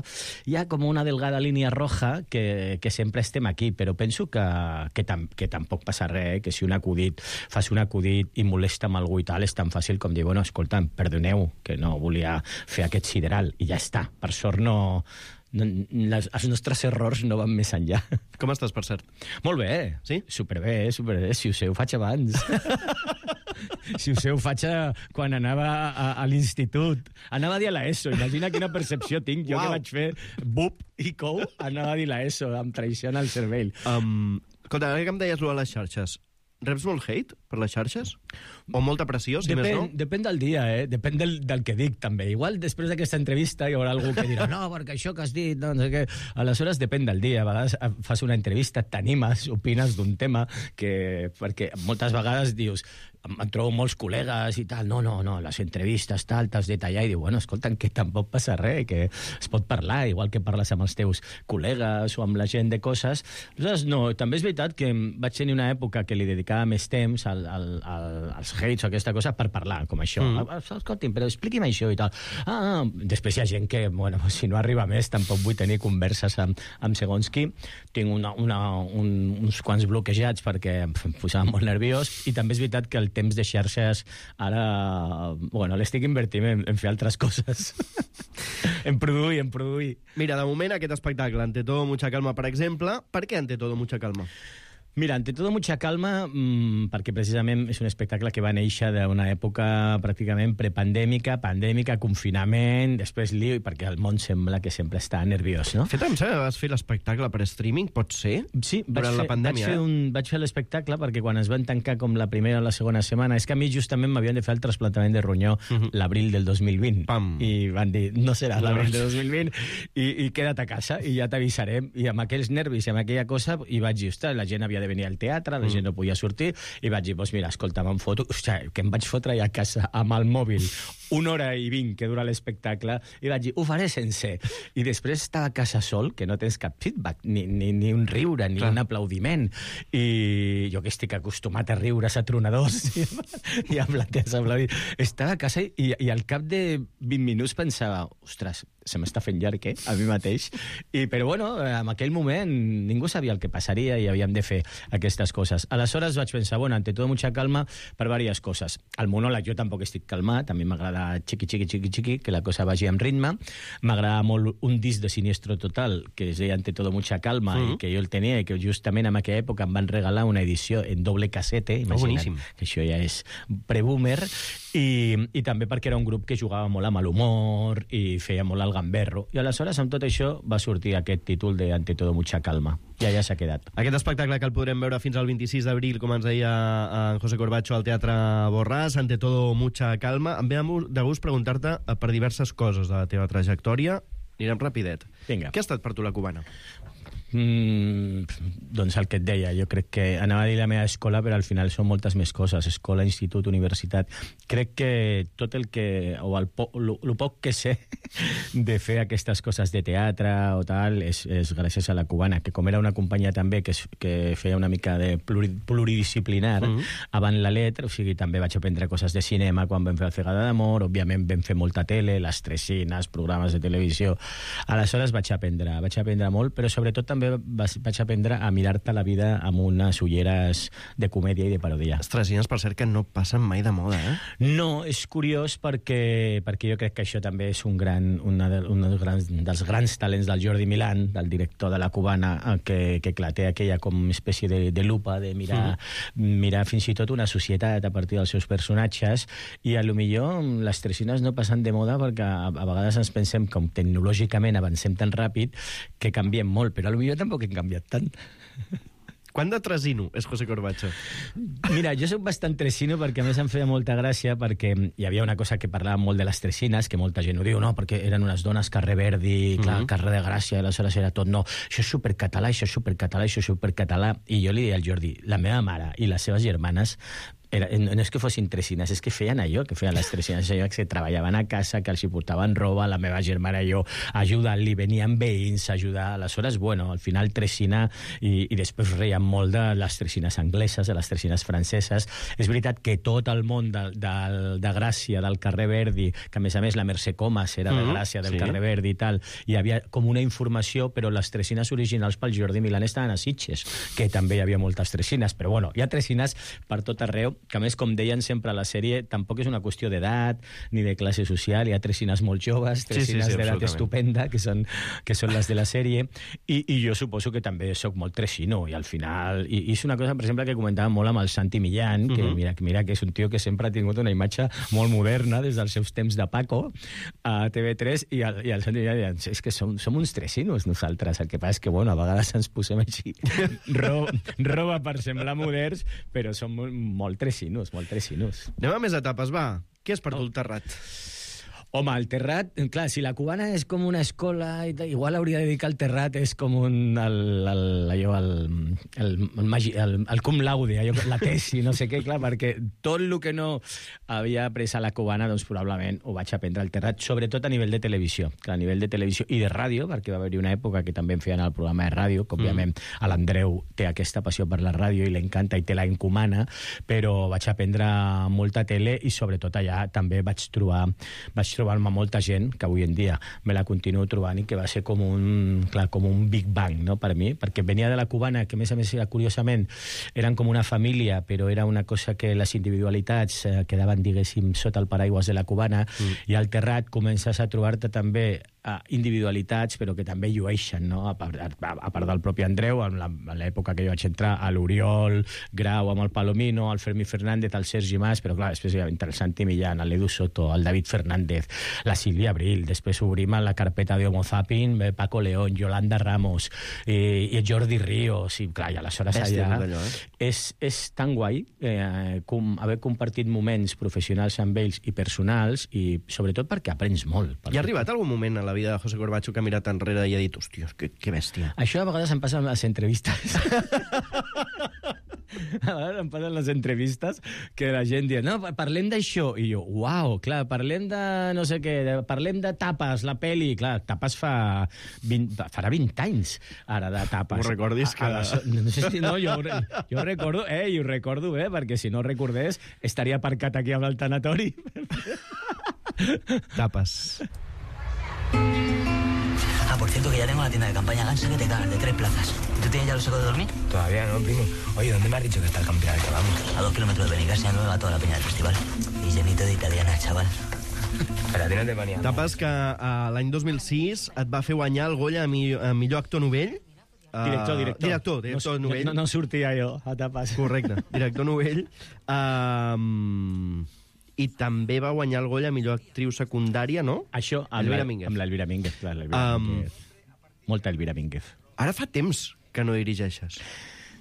hi ha com una delgada línia roja que sempre estem aquí, però penso que tampoc passa res, que si fas un acudit i molesta amb algú i tal, és tan fàcil com dir, bueno, escolta'm, perdoneu, que no volia fer aquest sideral, i ja està. Per sort els nostres errors no van més enllà. Com estàs, per cert? Molt bé. Sí? Superbé. Si ho sé, ho faig abans. Si ho sé, ho faig quan anava a l'institut. Anava a dir a l'ESO. Imagina quina percepció tinc. Jo que vaig fer BUP i COU, anava a dir l'ESO, amb traïció al cervell. Escolta, ara que em deies allò a les xarxes, reps molt hate per les xarxes? O molta pressió, si més no? Depèn del dia, depèn del que dic, també. Igual després d'aquesta entrevista hi haurà algú que dirà no, perquè això que has dit, no sé què... Aleshores, depèn del dia. A vegades fas una entrevista, t'animes, opines d'un tema, perquè moltes vegades dius em trobo molts col·legues i tal, no, les entrevistes, tal, t'has de tallar, i diu, bueno, escolta'm, que tampoc passa res, que es pot parlar, igual que parles amb els teus col·legues o amb la gent de coses. Aleshores, no, també és veritat que vaig tenir una època que li dedicava més temps als hates o aquesta cosa per parlar, com això. Escolti'm, però expliqui'm això i tal. Després hi ha gent que, bueno, si no arriba més, tampoc vull tenir converses amb segons qui. Tinc uns quants bloquejats perquè em posava molt nerviós, i també és veritat que el temps de xarxes ara, bueno, l'estic invertint en fer altres coses. en produir. Mira, de moment aquest espectacle, Ante todo mucha calma, per exemple, per què Ante todo mucha calma? Mira, Ante todo mucha calma, perquè precisament és un espectacle que va néixer d'una època pràcticament prepandèmica, pandèmica, confinament, després lío, i perquè el món sembla que sempre està nerviós, no? Fet, em sembla que vas fer l'espectacle per streaming, pot ser? Sí, durant la pandèmia. Vaig fer l'espectacle perquè quan es van tancar com la primera o la segona setmana, és que a mi justament m'havien de fer el trasplantament de ronyó l'abril del 2020. Pam. I van dir, no serà l'abril del 2020, i queda't a casa, i ja t'avisarem. I amb aquells nervis i amb aquella cosa, i vaig dir, ostres, la gent havia de venir al teatre, la gent no podia sortir, i vaig dir, doncs mira, escolta, me'n foto, que em vaig fotre a casa amb el mòbil 1 hora i 20 que dura l'espectacle, i vaig dir, ho faré sense. I després estava a casa sol, que no tens cap feedback, ni un riure, ni un aplaudiment. I jo que estic acostumat a riures a tronadors i a platees aplaudint. Estava a casa i al cap de 20 minuts pensava, ostres, se m'està fent llarg, a mi mateix. Però bueno, en aquell moment ningú sabia el que passaria i havíem de fer aquestes coses. Aleshores vaig pensar, bueno, ante todo mucha calma per diverses coses. El monòleg jo tampoc estic calmat, a mi m'agrada xiqui, que la cosa vagi amb ritme. M'agrada molt un disc de Siniestro Total, que es deia Ante todo mucha calma, i que jo el tenia, i que justament en aquella època em van regalar una edició en doble cassete, imagina't, que això ja és pre-boomer, i també perquè era un grup que jugava molt amb l'humor i feia molt el gamberro. I aleshores, amb tot això, va sortir aquest títol de Ante todo mucha calma. I allà s'ha quedat. Aquest espectacle que el podrem veure fins al 26 d'abril, com ens deia en José Corbacho, al Teatre Borràs, Ante todo mucha calma. Em ve de gust preguntar-te per diverses coses de la teva trajectòria. Anirem rapidet. Vinga. Què ha estat per tu la Cubana? Doncs el que et deia, jo crec que anava a dir la meva escola, però al final són moltes més coses, escola, institut, universitat. Crec que tot el que, o el poc que sé de fer aquestes coses de teatre o tal, és gràcies a la Cubana, que com era una companyia també que feia una mica de pluridisciplinar, abans la letra, o sigui, també vaig aprendre coses de cinema quan vam fer el Cegada d'Amor, òbviament vam fer molta tele, les Tresines, programes de televisió. Aleshores vaig aprendre molt, però sobretot també vaig aprendre a mirar-te la vida amb unes ulleres de comèdia i de parodia. Les Tresines, per cert, que no passen mai de moda, No, és curiós perquè jo crec que això també és un dels grans talents del Jordi Milán, del director de la Cubana, que té aquella com espècie de lupa, de mirar fins i tot una societat a partir dels seus personatges, i a lo millor les Tresines no passen de moda perquè a vegades ens pensem com tecnològicament avancem tan ràpid que canviem molt, però a lo millor tampoc hem canviat tant. Quant de tresino és José Corbacho? Mira, jo soc bastant tresino perquè a més em feia molta gràcia perquè hi havia una cosa que parlava molt de les Tresines, que molta gent ho diu, no? Perquè eren unes dones carrer Verdi, clar, carrer de Gràcia, i aleshores era tot, no, això és supercatalà, això és supercatalà, això és supercatalà. I jo li deia al Jordi, la meva mare i les seves germanes no és que fossin Tresines, és que feien allò que feien les Tresines, allò que treballaven a casa, que els hi portaven roba, la meva germana i jo ajudant-li, venien veïns a ajudar. Aleshores, bueno, al final Tresina, i després reien molt de les Tresines angleses, de les Tresines franceses. És veritat que tot el món de Gràcia, del carrer Verdi, que a més la Mercè Comas era de Gràcia, del carrer Verdi i tal, hi havia com una informació, però les Tresines originals pel Jordi Milán estaven a Sitges, que també hi havia moltes Tresines, però bueno, hi ha Tresines per tot arreu, que a més, com deien sempre a la sèrie, tampoc és una qüestió d'edat ni de classe social, hi ha Tresines molt joves, Tresines d'edat estupenda, que són les de la sèrie, i jo suposo que també sóc molt tresino, i al final, i és una cosa, per exemple, que comentava molt amb el Santi Millán, que mira que és un tio que sempre ha tingut una imatge molt moderna des dels seus temps de Paco a TV3, i el Santi Millán deia, és que som uns tresinos nosaltres, el que passa és que, bueno, a vegades ens posem així roba per semblar moderns, però som molt tresinos. Anem a més etapes, va. Què és per tu el Terrat? Home, el Terrat, clar, si la Cubana és com una escola, igual hauria de dir que el Terrat és com el cum laude, la tesi, no sé què, clar, perquè tot el que no havia après a la Cubana, doncs probablement ho vaig aprendre al Terrat, sobretot a nivell de televisió. Clar, a nivell de televisió i de ràdio, perquè va haver-hi una època que també em feien el programa de ràdio, que òbviament a l'Andreu té aquesta passió per la ràdio i l'encanta i te la encomana, però vaig aprendre molta tele i sobretot allà també vaig trobar-me molta gent que avui en dia me la continuo trobant i que va ser com un Big Bang, no?, per mi, perquè venia de la Cubana, que a més curiosament eren com una família, però era una cosa que les individualitats quedaven, diguéssim, sota el paraigües de la Cubana, i al Terrat comences a trobar-te també individualitats, però que també llueixen, no? A part del propi Andreu, en l'època que jo vaig entrar, a l'Oriol Grau, amb el Palomino, el Fermí Fernández, el Sergi Mas, però clar, després hi ha el Santi Millán, l'Edu Soto, el David Fernández, la Sílvia Abril, després obrim la carpeta de Homo Zapping, Paco León, Yolanda Ramos, i Jordi Ríos, i clar, i aleshores allà és tan guai haver compartit moments professionals amb ells i personals, i sobretot perquè aprens molt. Hi ha arribat algun moment a la vida de José Corbacho que ha mirat enrere i ha dit, hòstia, que bèstia. Això a vegades em passa amb les entrevistes. A vegades em passen les entrevistes que la gent diu, no, parlem d'això, i jo, uau, clar, parlem de no sé què, parlem de Tapes, la peli, clar, Tapes farà 20 anys ara de Tapes. Ho recordis que... No sé si no, jo ho recordo, i ho recordo bé, perquè si no recordés estaria aparcat aquí amb el tanatori. Tapes. Por cierto, que ya tengo la tienda de campaña Gansa que te cagas, de 3 plazas. ¿Y tú tienes ya lo seco de dormir? Todavía no, primo. Oye, ¿dónde me has dicho que está el camping al que vamos? A 2 kilómetros de Benicàssia, nueva, toda la peña del festival. Y llenito de italiana, chaval. Pero a ti no te venía. Tapes que l'any 2006 et va fer guanyar el Goya a millor actor novell. Director novell. No sortia jo a Tapes. Correcte, director novell. I també va guanyar el Goya a millor actriu secundària, no? Això, amb l'Elvira Mínguez, clar, molta Elvira Mínguez. Ara fa temps que no dirigeixes.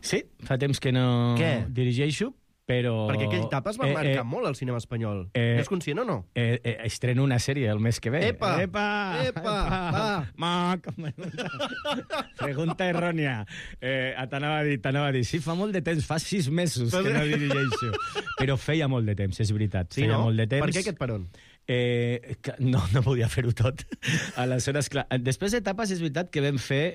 Sí, fa temps que no dirigeixo, però... Perquè aquell Tapes va marcar molt al cinema espanyol. N'és conscient o no? Estreno una sèrie el mes que ve. Epa! Pregunta errònia. T'anava a dir, sí, fa molt de temps, fa 6 mesos que no dirigeixo. Però feia molt de temps, és veritat. Sí, no? Per què aquest peron? No podia fer-ho tot. Aleshores, clar, després d'Etapes és veritat que vam fer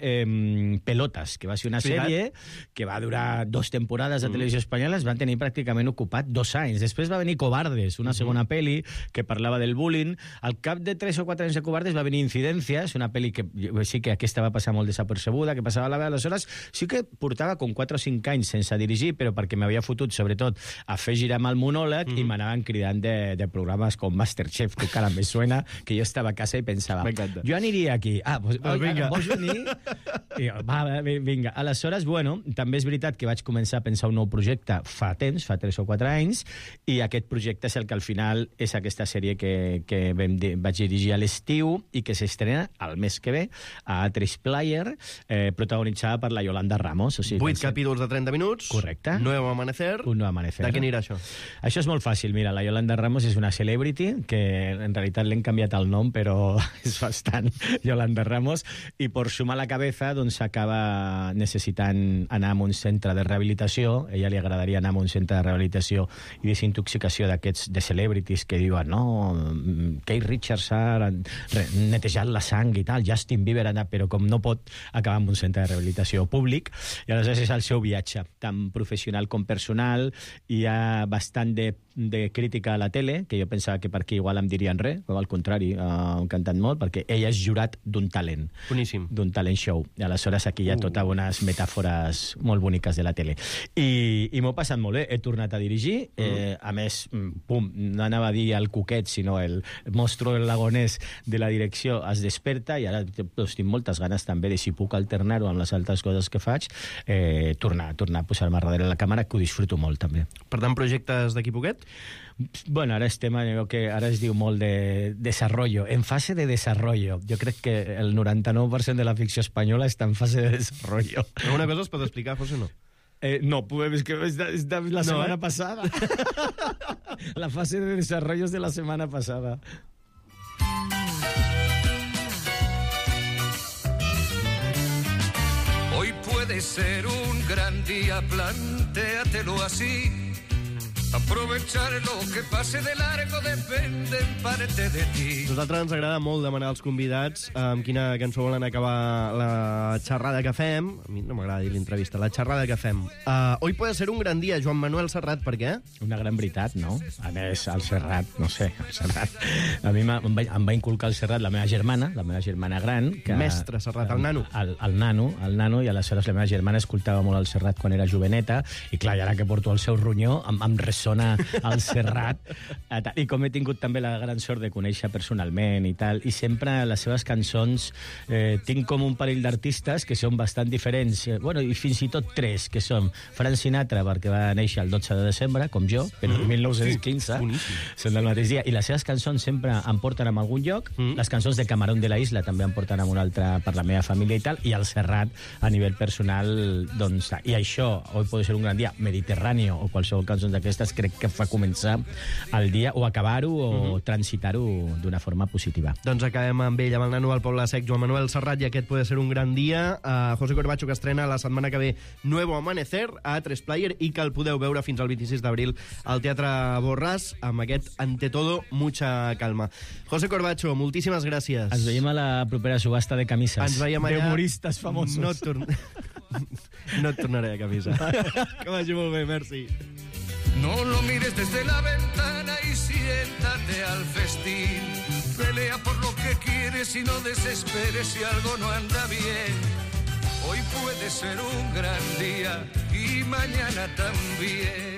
Pelotes, que va ser una sèrie que va durar 2 temporades a Televisió Espanyola, es van tenir pràcticament ocupat 2 anys. Després va venir Cobardes, una segona pel·li que parlava del bullying. Al cap de 3 o 4 anys de Cobardes va venir Incidències, una pel·li que sí que aquesta va passar molt desapercebuda, que passava a la veu. Aleshores sí que portava com 4 o 5 anys sense dirigir, però perquè m'havia fotut sobretot a fer girar amb el monòleg i m'anaven cridant de programes com Masterchef, que encara me suena, que jo estava a casa i pensava, jo aniria aquí. Vols venir? Vinga. Aleshores, bueno, també és veritat que vaig començar a pensar un nou projecte fa temps, fa 3 o 4 anys, i aquest projecte és el que al final és aquesta sèrie que vaig dirigir a l'estiu i que s'estrena el mes que ve a A3 Player, protagonitzada per la Yolanda Ramos. 8 capítols de 30 minuts. Correcte. Nuevo amanecer. Un nou amanecer. De què anirà això? Això és molt fàcil. Mira, la Yolanda Ramos és una celebrity que en realitat l'hem canviat el nom, però és bastant Yolanda Ramos, i per sumar la cabeza doncs acaba necessitant anar a un centre de rehabilitació. A ella li agradaria anar a un centre de rehabilitació i desintoxicació d'aquests de celebrities que diuen, no, Keith Richards ha netejat la sang i tal, Justin Bieber ha anat, però com no pot acabar en un centre de rehabilitació públic, i aleshores és el seu viatge, tant professional com personal. Hi ha bastant de crítica a la tele, que jo pensava que per aquí igual em dirien res, però al contrari, han cantat molt, perquè ella és jurat d'un talent. Boníssim. D'un talent show. I aleshores aquí hi ha totes unes metàfores molt boniques de la tele. I m'ho he passat molt bé. He tornat a dirigir. A més, no anava a dir el cuquet, sinó el monstru lagonès de la direcció es desperta, i ara tinc moltes ganes també de, si puc alternar-ho amb les altres coses que faig, tornar a posar-me darrere la càmera, que ho disfruto molt també. Per tant, projectes d'aquí poquet? Bueno, ara estem en allò que ara es diu molt de desarrollo, en fase de desarrollo. Jo crec que el 99% de la ficció espanyola està en fase de desarrollo. Alguna cosa es pot explicar, José, no? No, és que és de la setmana passada. La fase de desarrollo és de la setmana passada. ser un gran día, plantéatelo así. Aprovechar lo que pase de largo depende en parte de ti. A nosaltres ens agrada molt demanar als convidats amb quina cançó volen acabar la xerrada que fem. A mi no m'agrada dir l'entrevista, la xerrada que fem. Hoy puede ser un gran dia, Joan Manuel Serrat, per què? Una gran veritat, no? A més, el Serrat, no sé, el Serrat... A mi em va inculcar el Serrat la meva germana gran. Que, Mestre Serrat, el nano. El nano, i aleshores la meva germana escoltava molt el Serrat quan era joveneta, i clar, i ara que porto el seu ronyó, em ressona el Serrat. I com he tingut també la gran sort de conèixer personalment i tal, i sempre les seves cançons tinc com un parell d'artistes que són bastant diferents, bueno, i fins i tot tres, que són Frank Sinatra, perquè va néixer el 12 de desembre, com jo, però en 1915, són del mateix dia, i les seves cançons sempre em porten a algun lloc, les cançons de Camarón de la Isla també em porten a un altre per la meva família i tal, i el Serrat a nivell personal, doncs, i això, Hoy puede ser un gran dia, Mediterráneo o qualsevol cançó d'aquestes, crec que fa començar el dia, o acabar-ho, o transitar-ho d'una forma positiva. Doncs acabem amb ell, amb el nano del Poble Sec, Joan Manuel Serrat, i aquest puede ser un gran dia. José Corbacho, que estrena la setmana que ve Nuevo Amanecer a A3 Player, i que el podeu veure fins al 26 d'abril al Teatre Borràs, amb aquest Ante todo, mucha calma. José Corbacho, moltíssimes gràcies. Ens veiem a la propera subhasta de camises. Ens veiem allà. D'humoristes famosos. No et tornaré a camisa. Que vagi molt bé, merci. No lo mires desde la ventana y siéntate al festín. Pelea por lo que quieres y no desesperes si algo no anda bien. Hoy puede ser un gran día y mañana también.